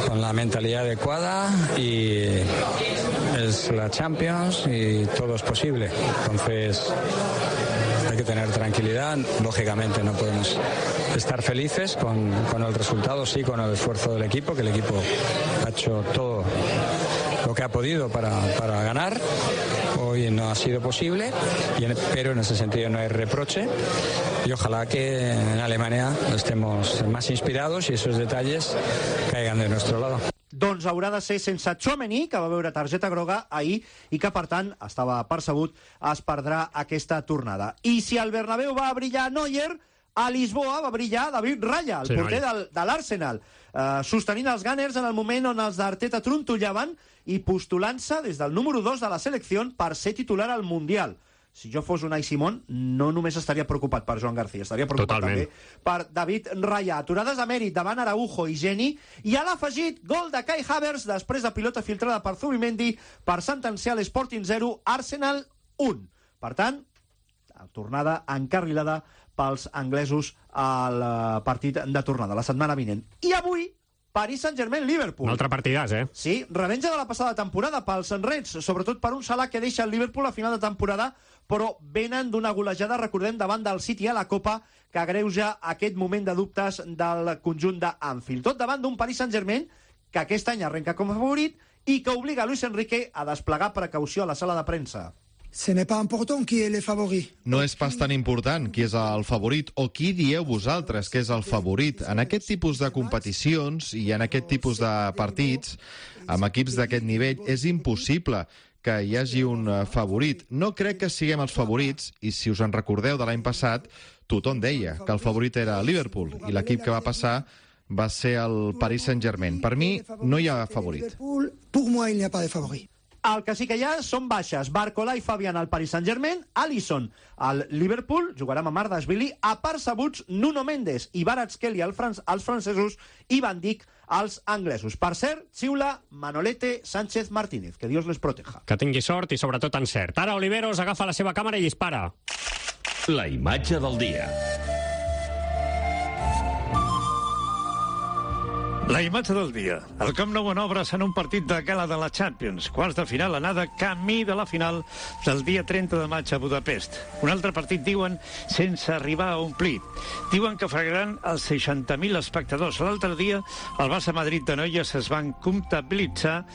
con la mentalidad adecuada, y es la Champions y todo es posible. Entonces hay que tener tranquilidad. Lógicamente no podemos estar felices con el resultado, sí, con el esfuerzo del equipo, que el equipo ha hecho todo lo que ha podido para ganar. Hoy no ha sido posible, pero en ese sentido no hay reproche, y ojalá que en Alemania estemos más inspirados y esos detalles caigan de nuestro lado. Doncs haurà de ser sense Tchouaméni, que va veure targeta groga ahir i que, per tant, estava percebut, es perdrà aquesta tornada. I si al Bernabéu va brillar Neuer, a Lisboa va brillar David Raya, el porter de l'Arsenal, sostenint els Gunners en el moment on els d'Arteta trontollaven i postulant-se des del número 2 de la selecció per ser titular al Mundial. Si jo fos Unai Simón, no només estaria preocupat per Joan García, estaria preocupat també per David Raya. Aturades de mèrit davant Araujo i Geni, i a l'afegit, gol de Kai Havertz després de pilota filtrada per Zubimendi per sentenciar l'Sporting 0, Arsenal 1. Per tant, tornada encarrilada pels anglesos al partit de tornada, la setmana vinent. I avui, Paris Saint-Germain-Liverpool. Un altre partidàs, Sí, revenja de la passada temporada pels Reds, sobretot per un Salah que deixa el Liverpool a final de temporada, però venen d'una golejada, recordem, davant del City a la Copa, que agreuja aquest moment de dubtes del conjunt d'Anfield. Tot davant d'un Paris Saint-Germain que aquest any arrenca com a favorit i que obliga Luis Enrique a desplegar precaució a la sala de premsa. Ce n'est pas important qui est le favori. No és pas tan important qui és el favorit o qui dieu vosaltres que és el favorit. En aquest tipus de competicions i en aquest tipus de partits, amb equips d'aquest nivell, és impossible que hi hagi un favorit. No crec que siguem els favorits, i si us en recordeu de l'any passat, tothom deia que el favorit era Liverpool, i l'equip que va passar va ser el Paris Saint-Germain. Per mi, no hi ha favorit. Pour moi, il n'y a pas de favorit. El que sí que hi ha són baixes. Barcola i Fabián al Paris Saint-Germain, Alisson al Liverpool, jugarà amb Amardashvili, a percebuts Nuno Mendes i Kvaratskhelia als francesos i Van Dijk als anglesos. Per cert, xiula Manolete Sánchez Martínez. Que Dios les proteja. Que tingui sort i sobretot encert. Ara Oliveros agafa la seva càmera i dispara. La imatge del dia. La imatge del dia. El Camp Nou en obres en un partit de gala de la Champions. Quarts de final anada, camí de la final del dia 30 de maig a Budapest. Un altre partit, diuen, sense arribar a omplir. Diuen que fregaran els 60.000 espectadors. L'altre dia, al Barça Madrid de noies es van comptabilitzar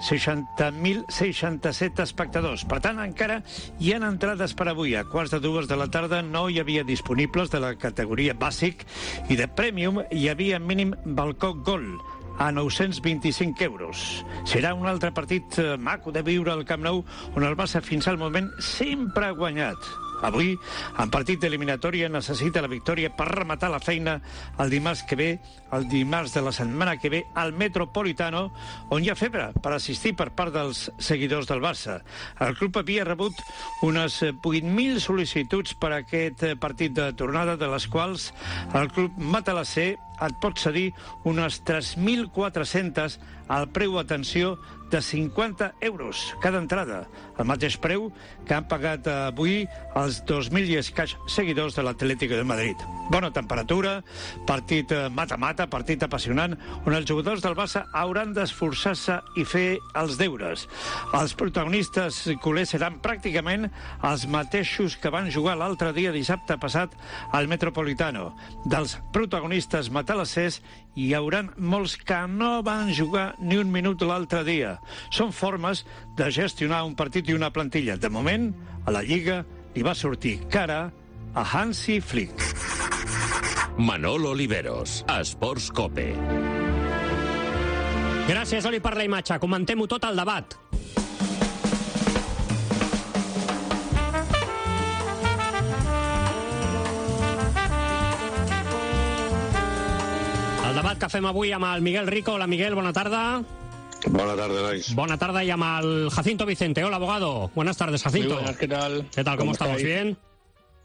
60.067 espectadors. Per tant, encara hi ha entrades per avui. A quarts de 2 de la tarda no hi havia disponibles de la categoria bàsic i de Premium hi havia mínim balcó gol a 925 euros. Serà un altre partit maco de viure al Camp Nou, on el Barça fins al moment sempre ha guanyat. Avui, en partit d'eliminatòria, necessita la victòria per rematar la feina el dimarts que ve, el dimarts de la setmana que ve, al Metropolitano, on hi ha febre per assistir per part dels seguidors del Barça. El club havia rebut unes 8.000 sol·licituds per a aquest partit de tornada, de les quals el club matalasser et pot cedir unes 3.400 al preu, atenció, de 50 euros cada entrada, el mateix preu que han pagat avui els 2.000 i escaig seguidors de l'Atlético de Madrid. Bona temperatura, partit mata-mata, partit apassionant, on els jugadors del Barça hauran d'esforçar-se i fer els deures. Els protagonistes culers seran pràcticament els mateixos que van jugar l'altre dia, dissabte passat, al Metropolitano. Dels protagonistes matalassers hi hauran molts que no van jugar ni un minut l'altre dia. Són formes de gestionar un partit i una plantilla. De moment, a la Lliga li va sortir cara a Hansi Flick. Manolo Oliveros, Esports Cope. Gràcies, Oli, per la imatge. Comentem-ho tot al debat. El debat que fem avui amb el Miguel Rico. Hola, Miguel, bona tarda. Buenas tardes, Luis. Buena tarde, y al Jacinto Vicente. Hola, abogado. Buenas tardes, Jacinto. Muy buenas, ¿qué tal? ¿Qué tal? ¿Cómo estamos? ¿Bien?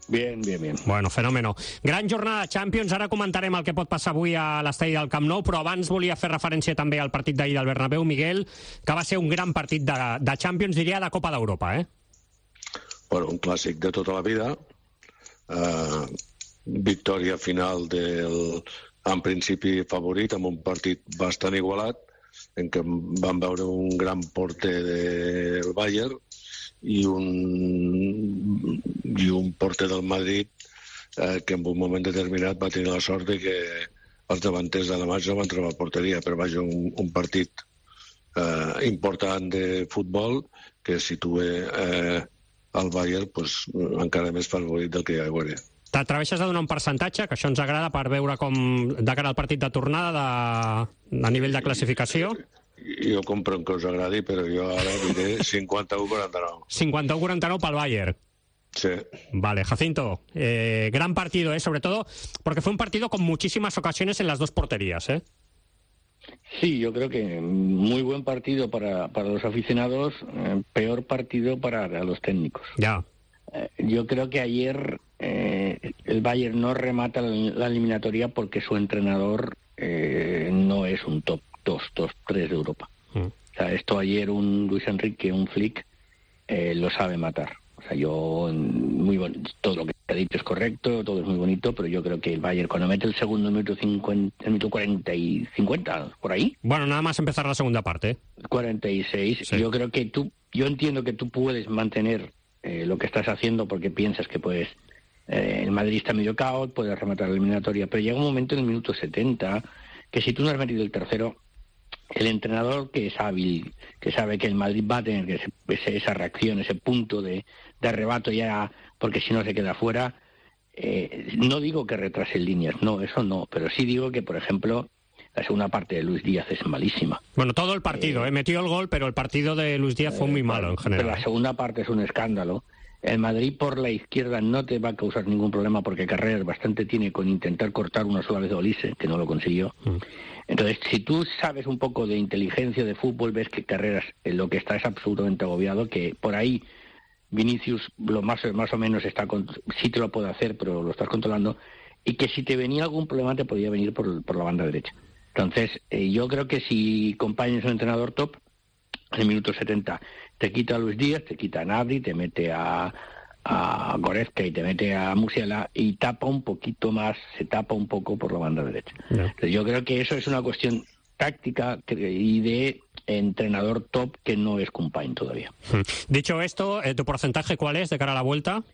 Bien, bien, bien. Bueno, fenòmeno. Gran jornada de Champions. Ara comentarem el que pot passar avui a l'estadi del Camp Nou, però abans volia fer referència també al partit d'ahir del Bernabéu, Miguel, que va ser un gran partit de Champions, diria, de Copa d'Europa, eh? Bueno, un clàssic de tota la vida. Victòria final del, en principi, favorit, amb un partit bastant igualat, en què van veure un gran porter del Bayern i un porter del Madrid que en un moment determinat va tenir la sort de que els davanters de la matx no van trobar porteria, però vaja, un partit important de futbol que situa el Bayern pues, encara més favorit del que hi ha a veure. T'atreveixes a donar un percentatge, que això ens agrada per veure com de cara al partit de tornada a nivell de classificació? Jo compro que us agradi, però jo ara diré 51-49. 51-49 pel Bayern. Sí. Vale, Jacinto, gran partido, sobre todo porque fue un partido con muchísimas ocasiones en las dos porterías, ¿eh? Sí, yo creo que muy buen partido para los aficionados, peor partido para los técnicos. Ya. Yo creo que ayer el Bayern no remata la eliminatoria porque su entrenador no es un top 2, top 3 de Europa. O sea, esto ayer un Luis Enrique, un Flick, lo sabe matar. O sea, muy bonito, todo lo que ha dicho es correcto, todo es muy bonito, pero yo creo que el Bayern cuando mete el segundo minuto 50, el minuto 40 y 50, por ahí. Bueno, nada más empezar la segunda parte. 46. Sí. Yo creo que yo entiendo que tú puedes mantener lo que estás haciendo porque piensas que puedes, el Madrid está medio caos, puedes rematar la eliminatoria, pero llega un momento en el minuto 70 que si tú no has metido el tercero, el entrenador que es hábil, que sabe que el Madrid va a tener esa reacción, ese punto de arrebato ya, porque si no se queda fuera, no digo que retrase líneas, no, eso no, pero sí digo que, por ejemplo, la segunda parte de Luis Díaz es malísima. Bueno, todo el partido, metió el gol, pero el partido de Luis Díaz fue muy malo en general. Pero la segunda parte es un escándalo. El Madrid por la izquierda no te va a causar ningún problema porque Carreras bastante tiene con intentar cortar una sola vez a Olise, que no lo consiguió. Entonces, si tú sabes un poco de inteligencia de fútbol, ves que Carreras lo que está es absolutamente agobiado, que por ahí Vinicius lo más o menos sí te lo puede hacer, pero lo estás controlando, y que si te venía algún problema te podía venir por la banda derecha. Entonces, yo creo que si acompañas a un entrenador top, en el minuto 70 te quita a Luis Díaz, te quita a Gnabry, te mete a Goretzka y te mete a Musiala y tapa un poquito más, se tapa un poco por la banda derecha. Entonces, yo creo que eso es una cuestión táctica y de entrenador top que no es Compañ todavía. Dicho esto, ¿tu porcentaje cuál es de cara a la vuelta?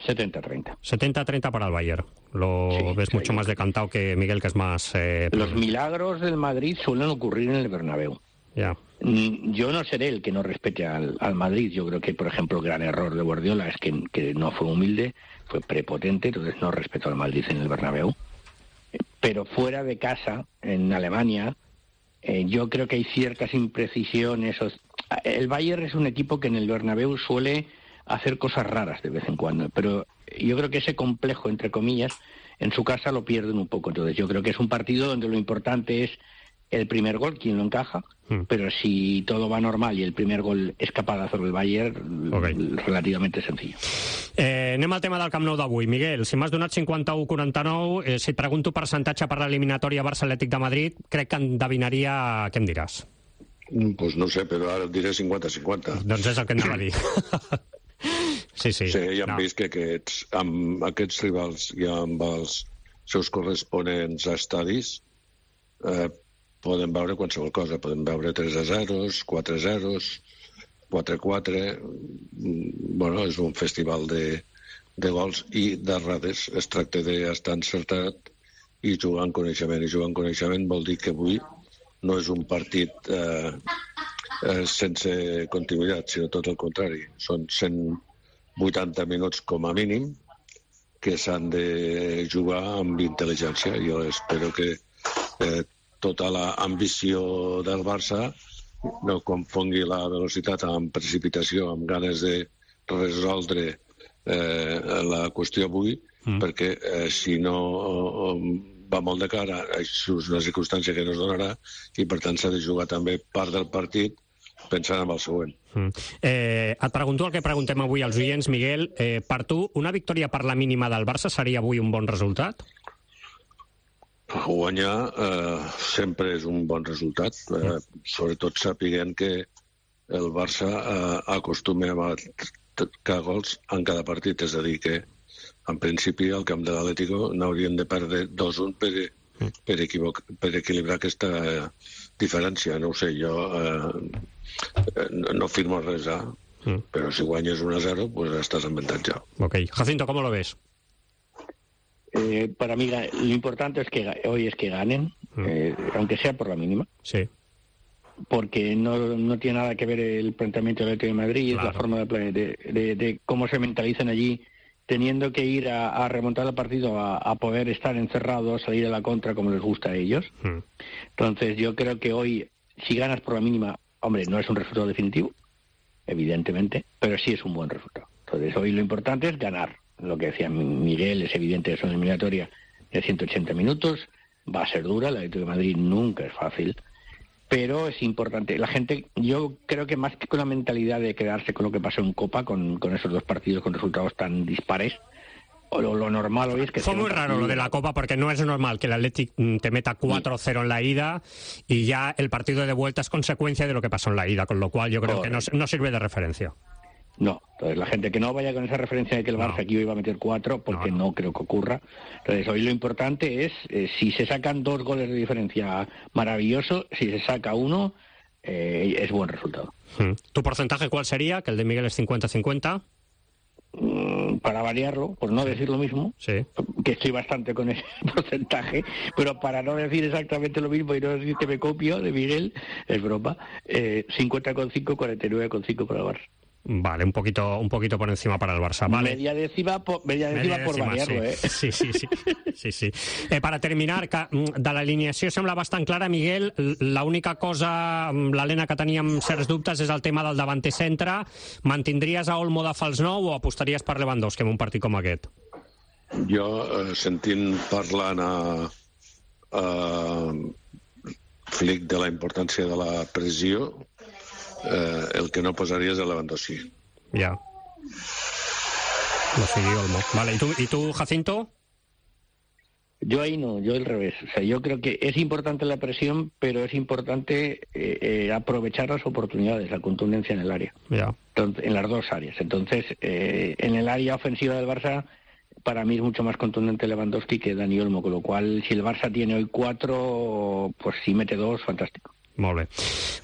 70-30. 70-30 para el Bayern. Lo ves mucho más decantado que Miguel, que es más... Los milagros del Madrid suelen ocurrir en el Bernabéu. Ya. Yo no seré el que no respete al Madrid. Yo creo que, por ejemplo, el gran error de Guardiola es que no fue humilde, fue prepotente, entonces no respetó al Madrid en el Bernabéu. Pero fuera de casa, en Alemania, yo creo que hay ciertas imprecisiones. El Bayern es un equipo que en el Bernabéu suele hacer cosas raras de vez en cuando, pero yo creo que ese complejo, entre comillas, en su casa lo pierden un poco. Entonces yo creo que es un partido donde lo importante es el primer gol, quien lo encaja, pero si todo va normal y el primer gol és capaz de hacer el Bayern, relativamente sencillo. Anem al tema del Camp Nou d'avui. Miguel, si m'has donat 51-49, si et pregunto percentatge per l'eliminatòria Barça-Atlètic de Madrid, crec que endevinaria... Què em diràs? Pues no sé, però ara diré 50-50. Doncs és el que anava a dir. Sí, ja hem vist que amb aquests rivals i amb els seus corresponents estadis poden veure qualsevol cosa. Poden veure 3-0, 4-0, 4-4. Bueno, és un festival de gols i d'errades. Es tracta d'estar encertat i jugar en coneixement. I jugar en coneixement vol dir que avui no és un partit sense continuïtat, sinó tot el contrari. Són 180 minuts com a mínim que s'han de jugar amb intel·ligència. Jo espero que tota l'ambició del Barça no confongui la velocitat amb precipitació, amb ganes de resoldre la qüestió avui, perquè si no va molt de cara, això és una circumstància que no es donarà i per tant s'ha de jugar també part del partit pensant en el següent. Et pregunto el que preguntem avui als oients, Miguel. Per tu, una victòria per la mínima del Barça seria avui un bon resultat? Guanyar sempre és un bon resultat, sobretot sapiguent que el Barça acostuma a marcar gols en cada partit, és a dir que en principi al camp de l'Atlético n'haurien de perdre 2-1 per equilibrar aquesta diferència. No ho sé, jo no firmo res, però si guanyes 1-0 pues estás en avantatge. Ok. Jacinto, ¿cómo lo ves? Para mí lo importante hoy es que ganen, aunque sea por la mínima. Sí. Porque no tiene nada que ver el planteamiento del Atlético de Madrid, la forma de cómo se mentalizan allí, teniendo que ir a remontar el partido, a poder estar encerrados, salir a la contra como les gusta a ellos. Entonces yo creo que hoy, si ganas por la mínima, hombre, no es un resultado definitivo, evidentemente, pero sí es un buen resultado. Entonces hoy lo importante es ganar. Lo que decía Miguel, es evidente que es una eliminatoria de 180 minutos, va a ser dura, la Atlético de Madrid nunca es fácil, pero es importante. La gente, yo creo que más que con la mentalidad de quedarse con lo que pasó en Copa, con esos dos partidos con resultados tan dispares, lo normal hoy es que... Fue muy raro lo de la Copa, porque no es normal que el Athletic te meta 4-0 en la ida y ya el partido de vuelta es consecuencia de lo que pasó en la ida, con lo cual yo creo que no sirve de referencia. No, entonces la gente que no vaya con esa referencia de que el Barça aquí iba a meter 4, porque no creo que ocurra. Entonces hoy lo importante es, si se sacan 2 goles de diferencia, maravilloso. Si se saca 1, es buen resultado. ¿Tu porcentaje cuál sería? Que el de Miguel es 50-50. Para variarlo, por no decir lo mismo, que estoy bastante con ese porcentaje, pero para no decir exactamente lo mismo y no decir que me copio de Miguel, es broma, 50,5, 49,5 para el Barça. Vale, un poquito por encima para el Barça. Vale. Media décima por variarlo, Sí. Per terminar, de l'alineació sembla bastant clara, Miguel. L'única cosa, l'Helena, que teníem certs dubtes és el tema del davanter centre. Mantindries a Olmo de fals 9 o apostaries per Lewandowski en un partit com aquest? Jo, sentint parlant a Flick de la importància de la pressió, el que no posaria és el Lewandowski. Ja. Lo sigui Olmo. Vale, ¿y tú, Jacinto? Yo ahí no, yo al revés. O sea, yo creo que es importante la presión, pero es importante aprovechar las oportunidades, la contundencia en el área. Yeah. Entonces, en las dos áreas. Entonces, en el área ofensiva del Barça, para mí es mucho más contundente Lewandowski que Dani Olmo, con lo cual, si el Barça tiene hoy 4, pues si mete 2, fantàstic. Molt bé.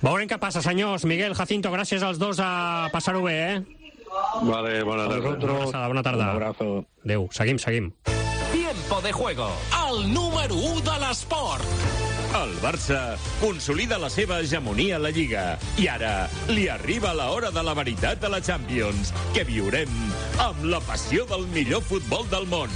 Veurem què passa, senyors. Miguel, Jacinto, gràcies als dos a passar-ho bé, Vale, bona tarda. Bona tarda. Un abrazo. Adéu, seguim. Tiempo de juego, el número 1 de l'esport. El Barça consolida la seva hegemonia a la Lliga i ara li arriba l'hora de la veritat a la Champions, que viurem amb la passió del millor futbol del món.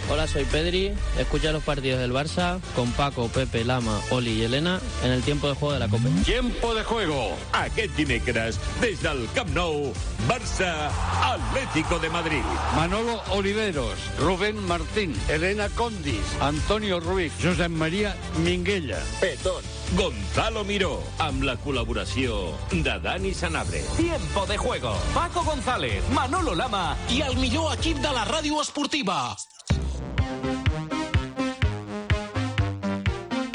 Hola, soy Pedri. Escucha los partidos del Barça con Paco, Pepe, Lama, Oli y Elena en el tiempo de juego de la Copa. Tiempo de juego. Aquest dimecres, des del Camp Nou, Barça Atlético de Madrid. Manolo Oliveros, Rubén Martín, Elena Condis, Antonio Ruiz, Josep María Minguella. Petón, Gonzalo Miró, amb la col·laboració de Dani Sanabria. Tiempo de juego. Paco González, Manolo Lama i el millor equip de la ràdio esportiva.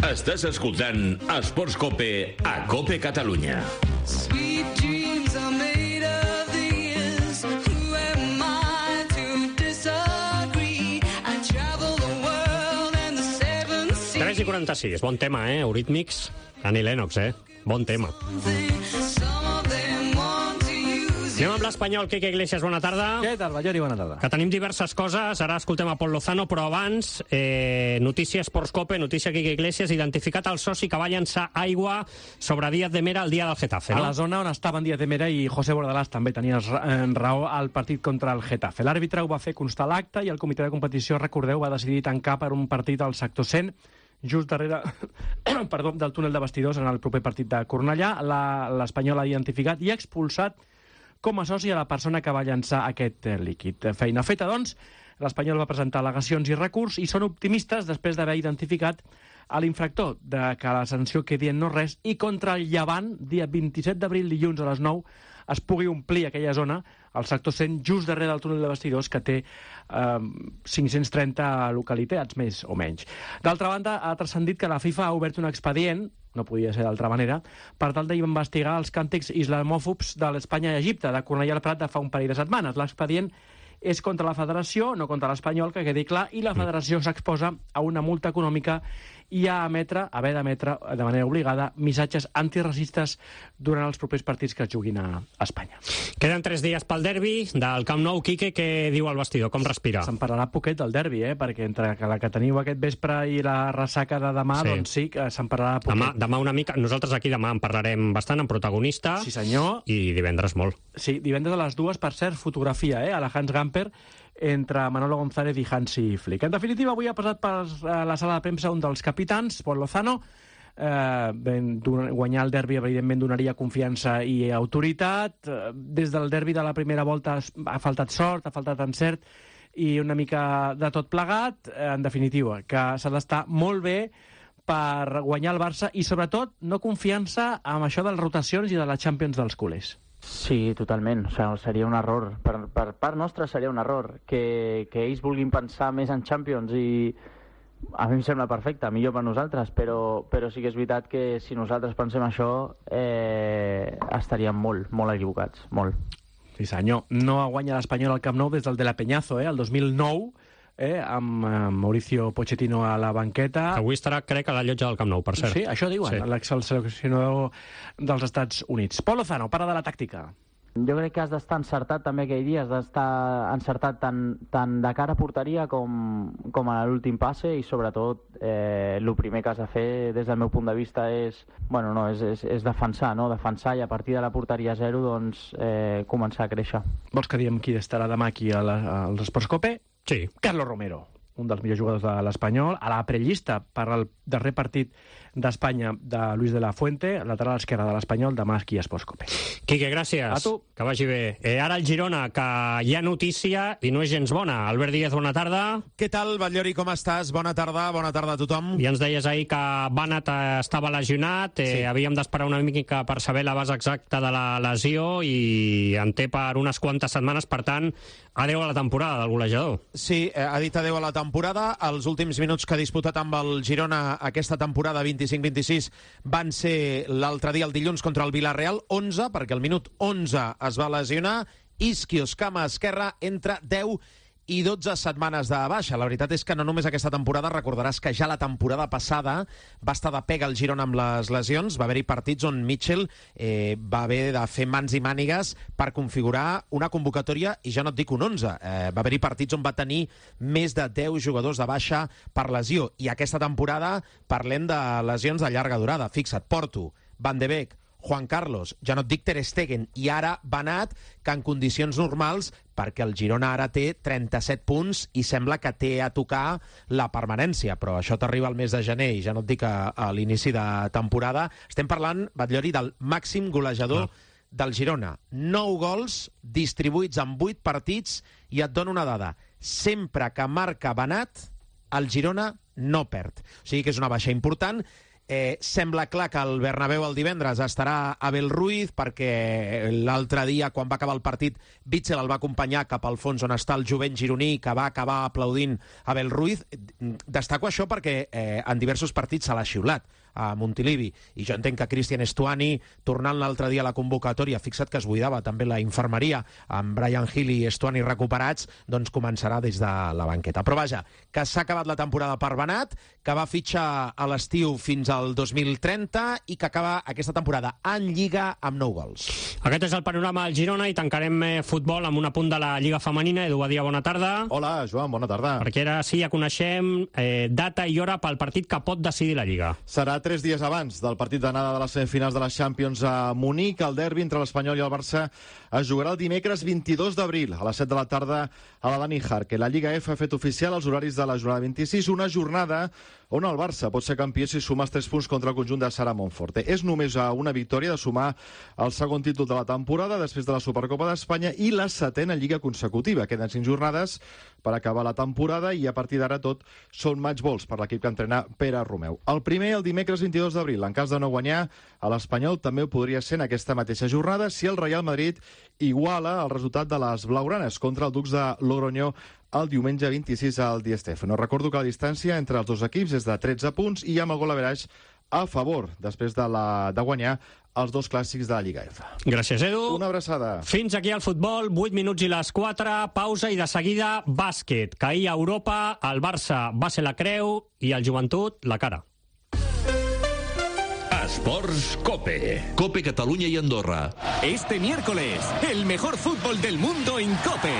Estàs escoltant Esports Cope a Cope Catalunya. Sweet dreams are made of these. Who am I to disagree? I travel the world and the seven seas. 3:46, bon tema, Eurythmics, Annie Lennox, bon tema. Anem amb l'Espanyol, Quique Iglesias, bona tarda. Què tal, Ballori, bona tarda. Que tenim diverses coses, ara escoltem a Pol Lozano, però abans, notícia Esports Cope, notícia Quique Iglesias, identificat el soci que va llançar aigua sobre Díaz de Mera el dia del Getafe, no? A la zona on estaven Díaz de Mera i José Bordalás també tenies raó al partit contra el Getafe. L'àrbitre ho va fer constar l'acte i el comitè de competició, recordeu, va decidir tancar per un partit al sector 100, just darrere del túnel de vestidors en el proper partit de Cornellà. L'Espanyol ha identificat i expulsat com a soci a la persona que va llançar aquest líquid. Feina feta, doncs, l'Espanyol va presentar al·legacions i recurs i són optimistes després d'haver identificat a l'infractor de que la sanció quedi en no res i contra el Llevant, dia 27 d'abril, dilluns a les 9, es pugui omplir aquella zona, el sector 100, just darrere del túnel de vestidors, que té 530 localitats, més o menys. D'altra banda, ha transcendit que la FIFA ha obert un expedient, no podia ser d'altra manera, per tal d'investigar els càntics islamòfobs de l'Espanya i Egipte, de Cornellà al Prat de fa un parell de setmanes. L'expedient és contra la federació, no contra l'Espanyol, que quedi clar, i la federació s'exposa a una multa econòmica i a haver d'emetre de manera obligada missatges antiracistes durant els propers partits que es juguin a Espanya. Queden 3 dies pel derbi del Camp Nou. Quique, què diu el vestidor? Com respira? Se'n parlarà poquet del derbi, perquè entre la que teniu aquest vespre i la ressaca de demà, sí, doncs sí, que se'n parlarà poquet. Demà una mica. Nosaltres aquí demà en parlarem bastant, en protagonista. Sí, senyor. I divendres molt. Sí, divendres a les 2, per cert, fotografia, a la Hans Gamper, entre Manolo González i Hansi Flick. En definitiva, avui ha passat per la sala de premsa un dels capitans, Pol Lozano. Guanyar el derbi, evidentment, donaria confiança i autoritat. Des del derbi de la primera volta ha faltat sort, ha faltat encert i una mica de tot plegat. En definitiva, que s'ha d'estar molt bé per guanyar el Barça i, sobretot, no confiança amb això de les rotacions i de la Champions dels culers. Sí, totalment. O sigui, seria un error. Per part nostra seria un error que ells vulguin pensar més en Champions i a mi em sembla perfecte, millor per nosaltres, però sí que és veritat que si nosaltres pensem això estaríem molt equivocats, molt. Sí senyor, no guanya l'Espanyol al Camp Nou des del de la Peñazo, el 2009, amb Mauricio Pochettino a la banqueta. Avui estarà, crec, a la llotja del Camp Nou, per cert. Sí, això diuen, l'ex-seleccionador dels Estats Units. Pol Lozano, parla de la tàctica. Jo crec que has d'estar encertat també aquell dia, has d'estar encertat tant de cara a porteria com a l'últim passe i sobretot el primer que has de fer des del meu punt de vista és defensar, no? Defensar i a partir de la porteria 0 doncs començar a créixer. Vols que diem qui estarà demà aquí als Esports Cope? Sí. Carlos Romero, un dels millors jugadors de l'Espanyol, a la prellista per al darrer partit d'Espanya de Luis de la Fuente, lateral esquerra de l'Espanyol, demà aquí a Esports Cope. Quique, gràcies. A tu. Que vagi bé. Ara el Girona, que hi ha notícia i no és gens bona. Albert Díaz, bona tarda. Què tal, Batllori, com estàs? Bona tarda a tothom. I ens deies ahir que Banat estava lesionat, havíem d'esperar una mica per saber la base exacta de la lesió i en té per unes quantes setmanes, per tant, adeu a la temporada del golejador. Sí, ha dit adeu a la temporada. Els últims minuts que ha disputat amb el Girona aquesta temporada 25-26 van ser l'altre dia, el dilluns, contra el Villarreal, 11, perquè al minut 11 es va lesionar. Isquios, cama esquerra, entre 10 i 12 setmanes de baixa. La veritat és que no només aquesta temporada, recordaràs que ja la temporada passada va estar de pega el Girona amb les lesions, va haver-hi partits on Mitchell va haver de fer mans i mànigues per configurar una convocatòria, i ja no et dic un 11, va haver-hi partits on va tenir més de 10 jugadors de baixa per lesió, i aquesta temporada parlem de lesions de llarga durada. Fixa't, Porto, Van de Beek, Juan Carlos, ja no et dic Ter Stegen, i ara Banat, que en condicions normals, perquè el Girona ara té 37 punts i sembla que té a tocar la permanència, però això t'arriba al mes de gener i ja no et dic a l'inici de temporada. Estem parlant, Batllori, del màxim golejador del Girona. 9 gols distribuïts en 8 partits, i et dono una dada. Sempre que marca Banat, el Girona no perd. O sigui que és una baixa important. Sembla clar que el Bernabéu el divendres estarà Abel Ruiz, perquè l'altre dia, quan va acabar el partit, Bitzel el va acompanyar cap al fons on està el jovent gironí, que va acabar aplaudint Abel Ruiz. Destaco això perquè en diversos partits se l'ha xiulat a Montilivi, i jo entenc que Cristian Stuani, tornant l'altre dia a la convocatòria, fixa't que es buidava també la infermeria, amb Brian Hill i Stuani recuperats, doncs començarà des de la banqueta. Però vaja, que s'ha acabat la temporada per Banat, que va fitxar a l'estiu fins al 2030 i que acaba aquesta temporada en Lliga amb 9 gols. Aquest és el panorama del Girona, i tancarem futbol amb un apunt de la Lliga Femenina. Edu Badia, bona tarda. Hola, Joan, bona tarda. Perquè ara sí, ja coneixem data i hora pel partit que pot decidir la Lliga. Serà 3 dies abans del partit d'anada de les semifinals de la Champions a Munic. El derbi entre l'Espanyol i el Barça es jugarà el dimecres 22 d'abril a les 7 de la tarda a la Dani Jarque. La Lliga F ha fet oficial els horaris de la jornada 26, una jornada on el Barça pot ser campió si sumes 3 punts contra el conjunt de Sara Monforte. És només una victòria de sumar el segon títol de la temporada després de la Supercopa d'Espanya i la 7ª Lliga consecutiva. Queden 5 jornades per acabar la temporada i a partir d'ara tot són match balls per l'equip que entrena Pere Romeu. El primer, el dimecres 22 d'abril. En cas de no guanyar, a l'Espanyol també ho podria ser en aquesta mateixa jornada si el Real Madrid iguala el resultat de les blaugranes contra el Dux de Logroñó el diumenge 26 al Di Stéfano. Recordo que la distància entre els dos equips és de 13 punts i amb el gol average a favor després de guanyar els dos clàssics de la Lliga F. Gràcies, Edu. Una abraçada. Fins aquí el futbol, 8 minuts i les 4, pausa i de seguida bàsquet, que ahir a Europa el Barça va ser la creu i el Joventut la cara. Esports Cope. Cope Cataluña y Andorra. Este miércoles, el mejor fútbol del mundo en Cope.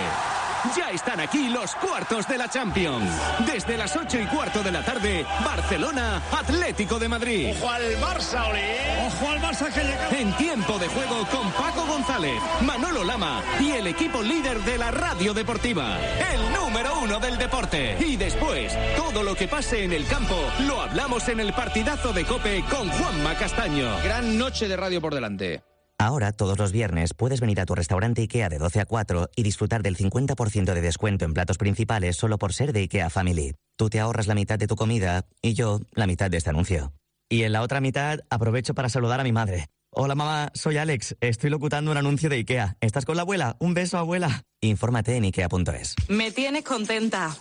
Ya están aquí los cuartos de la Champions. Desde las 8:15 de la tarde, Barcelona, Atlético de Madrid. ¡Ojo al Barça, Oli! ¡Ojo al Barça que llega! En tiempo de juego con Paco González, Manolo Lama y el equipo líder de la radio deportiva. El número 1 del deporte. Y después, todo lo que pase en el campo, lo hablamos en el partidazo de Cope con Juanma Castaño. Gran noche de radio por delante. Ahora, todos los viernes, puedes venir a tu restaurante IKEA de 12 a 4 y disfrutar del 50% de descuento en platos principales solo por ser de IKEA Family. Tú te ahorras la mitad de tu comida y yo la mitad de este anuncio. Y en la otra mitad, aprovecho para saludar a mi madre. Hola mamá, soy Alex. Estoy locutando un anuncio de IKEA. ¿Estás con la abuela? Un beso, abuela. Infórmate en IKEA.es. Me tienes contenta.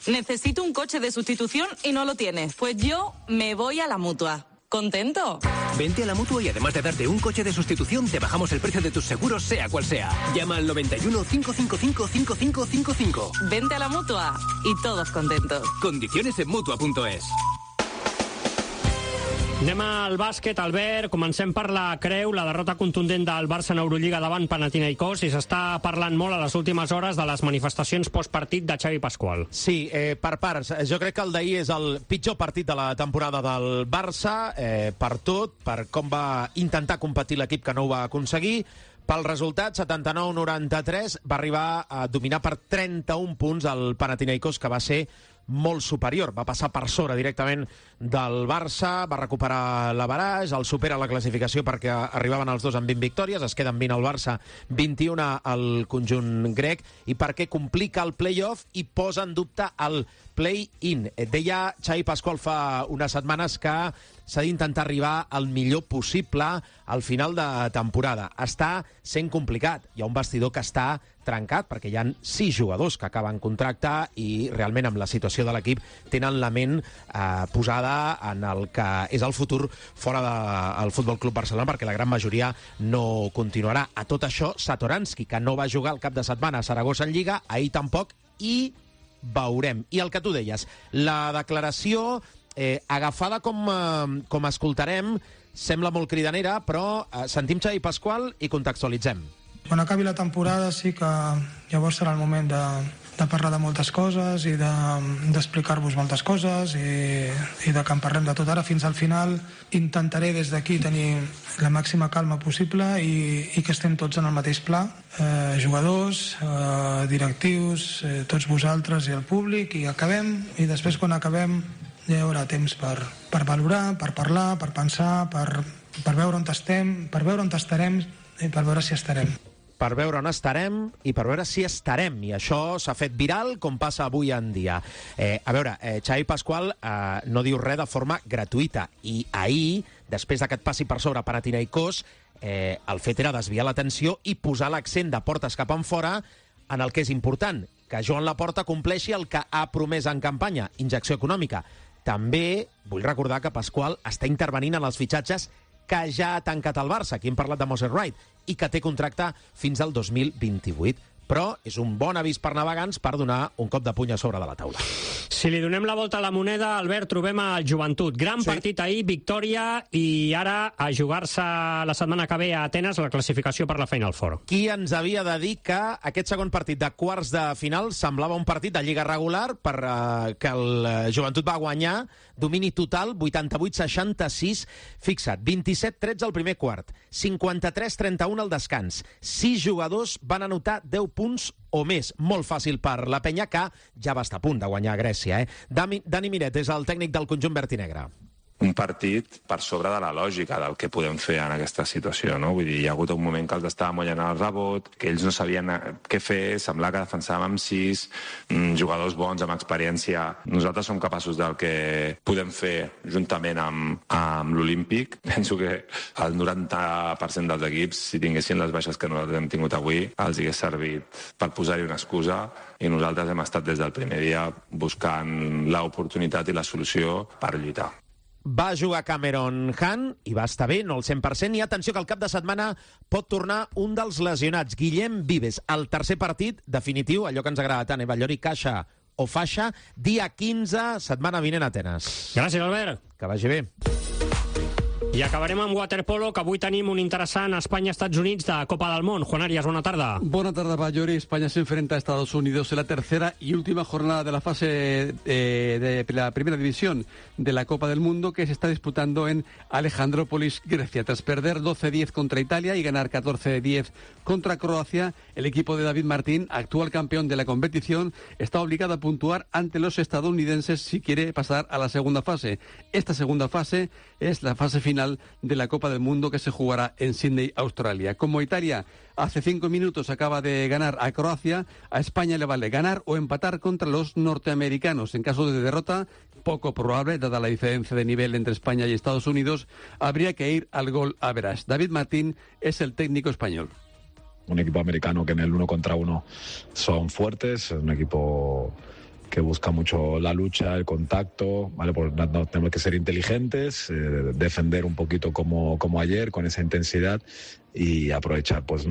Necesito un coche de sustitución y no lo tienes. Pues yo me voy a la Mutua. ¿Contento? Vente a la Mutua y además de darte un coche de sustitución, te bajamos el precio de tus seguros, sea cual sea. Llama al 91 555 5555. Vente a la Mutua y todos contentos. Condiciones en Mutua.es. Anem al bàsquet, Albert. Comencem per la creu, la derrota contundent del Barça en Eurolliga davant Panathinaikos, i s'està parlant molt a les últimes hores de les manifestacions postpartit de Xavi Pascual. Sí, per parts. Jo crec que el d'ahir és el pitjor partit de la temporada del Barça, per tot, per com va intentar competir l'equip que no ho va aconseguir. Pel resultat, 79-93, va arribar a dominar per 31 punts el Panathinaikos, que va ser molt superior. Va passar per sobre directament del Barça, va recuperar l'averaix, el supera la classificació perquè arribaven els dos amb 20 victòries, es queden 20 al Barça, 21 al conjunt grec, i perquè complica el play-off i posa en dubte el play-in. Deia Xavi Pasqual fa unes setmanes que s'ha d'intentar arribar al millor possible al final de temporada. Està sent complicat. Hi ha un vestidor que està trencat perquè hi ha 6 jugadors que acaben contracte i realment amb la situació de l'equip tenen la ment posada en el que és el futur fora del Futbol Club Barcelona, perquè la gran majoria no continuarà. A tot això, Satoranski, que no va jugar el cap de setmana a Saragossa en Lliga, ahir tampoc, i veurem. I el que tu deies, la declaració agafada com escoltarem sembla molt cridanera, però sentim Xavi Pasqual i contextualitzem. Quan acabi la temporada sí que llavors serà el moment de parlar de moltes coses i d'explicar-vos moltes coses i de que en parlem de tot. Ara fins al final intentaré des d'aquí tenir la màxima calma possible i que estem tots en el mateix pla, jugadors, directius, tots vosaltres i el públic, i acabem, i després quan acabem ja hi haurà temps per valorar, per parlar, per pensar, per veure on estem, per veure on estarem i per veure si estarem. Per veure on estarem i per veure si estarem. I això s'ha fet viral, com passa avui en dia. A veure, Xavi Pasqual no diu res de forma gratuïta. I ahir, després que et passi per sobre Panathinaikos, el fet era desviar l'atenció i posar l'accent de portes cap enfora en el que és important, que Joan Laporta compleixi el que ha promès en campanya, injecció econòmica. També vull recordar que Pasqual està intervenint en els fitxatges que ja ha tancat el Barça, aquí hem parlat de Moses Wright, i que té contracte fins al 2028. Però és un bon avís per navegants per donar un cop de puny a sobre de la taula. Si li donem la volta a la moneda, Albert, trobem el Joventut. Gran partit ahir, victòria, i ara a jugar-se la setmana que ve a Atenes la classificació per la Final Four. Qui ens havia de dir que aquest segon partit de quarts de final semblava un partit de lliga regular que el Joventut va guanyar, domini total, 88-66, fixa't, 27-13 al primer quart, 53-31 al descans, 6 jugadors van anotar 10 punts o més. Molt fàcil per la penya, que ja va estar a punt de guanyar a Grècia. Dani Miret és el tècnic del conjunt verd i negre. Un partit per sobre de la lògica del que podem fer en aquesta situació, no? Vull dir, hi ha hagut un moment que els estava mollant el rebot, que ells no sabien què fer, semblava que defensàvem amb 6, jugadors bons, amb experiència. Nosaltres som capaços del que podem fer juntament amb l'Olímpic. Penso que el 90% dels equips, si tinguessin les baixes que nosaltres hem tingut avui, els hagués servit per posar-hi una excusa, i nosaltres hem estat des del primer dia buscant l'oportunitat i la solució per lluitar. Va jugar Cameron Hunt i va estar bé, no al 100%, i atenció que el cap de setmana pot tornar un dels lesionats, Guillem Vives, el tercer partit definitiu, allò que ens agrada tant, Ballori, caixa o faixa, dia 15, setmana vinent a Atenes. Gràcies, Albert. Que vagi bé. I acabarem amb waterpolo, que avui tenim un interessant Espanya-Estats Units de Copa del Món. Juan Arias, bona tarda. Buena tarde, Ballori. España se enfrenta a Estados Unidos en la tercera y última jornada de la fase de la primera división de la Copa del Mundo, que se está disputando en Alejandrópolis, Grecia. Tras perder 12-10 contra Italia y ganar 14-10 contra Croacia, el equipo de David Martín, actual campeón de la competición, está obligado a puntuar ante los estadounidenses si quiere pasar a la segunda fase. Esta segunda fase es la fase final de la Copa del Mundo, que se jugará en Sydney, Australia. Como Italia hace 5 minutos acaba de ganar a Croacia, a España le vale ganar o empatar contra los norteamericanos. En caso de derrota, poco probable, dada la diferencia de nivel entre España y Estados Unidos, habría que ir al gol average. David Martín es el técnico español. Un equipo americano que en el 1 contra 1 son fuertes, es un equipo que busca mucho la lucha, el contacto, ¿vale? No, tenemos que ser inteligentes, defender un poquito como ayer, con esa intensidad, y aprovechar pues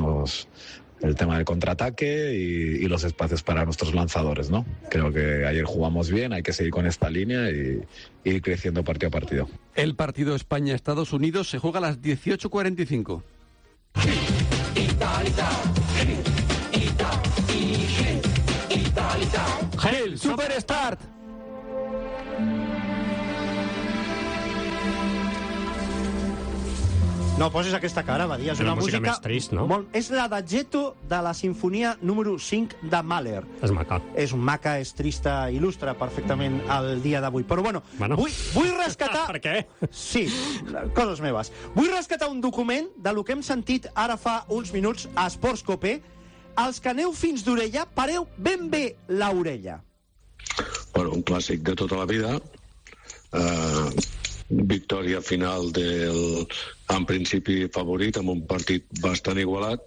el tema del contraataque y los espacios para nuestros lanzadores, ¿no? Creo que ayer jugamos bien, hay que seguir con esta línea y ir creciendo partido a partido. El partido España-Estados Unidos se juega a las 18:45. Gel Superstart. No posis aquesta cara, Badia. És La una música més trist, no? És la d'Aggetto de la sinfonia número 5 de Mahler. És maca. És maca, és trista, il·lustra perfectament el dia d'avui. Però bueno, vull rescatar... Per què? Sí, coses meves. Vull rescatar un document de lo que hem sentit ara fa uns minuts a Esports Cope. Els que aneu fins d'orella, pareu ben bé l'orella. Bueno, un clàssic de tota la vida. Victòria final del, en principi, favorit, amb un partit bastant igualat.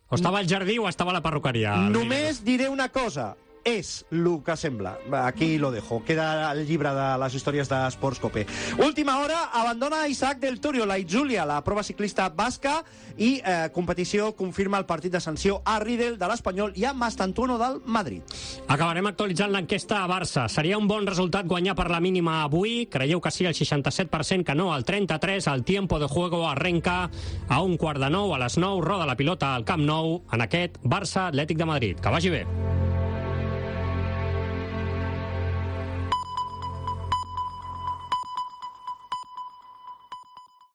O estava al jardí o estava a la perruqueria? Només diré una cosa. És el que sembla. Aquí lo dejo. Queda el llibre de les històries d'Esports Cope. Última hora, abandona Isaac del Torio, la Itzulia, la prova ciclista basca, i competició confirma el partit de sanció a Riedel de l'Espanyol i a Mastantuono del Madrid. Acabarem actualitzant l'enquesta a Barça. Seria un bon resultat guanyar per la mínima avui? Creieu que sí, el 67%, que no, el 33%. El tiempo de juego arrenca a 8:45, a les 9, roda la pilota al Camp Nou, en aquest Barça Atlètic de Madrid. Que vagi bé.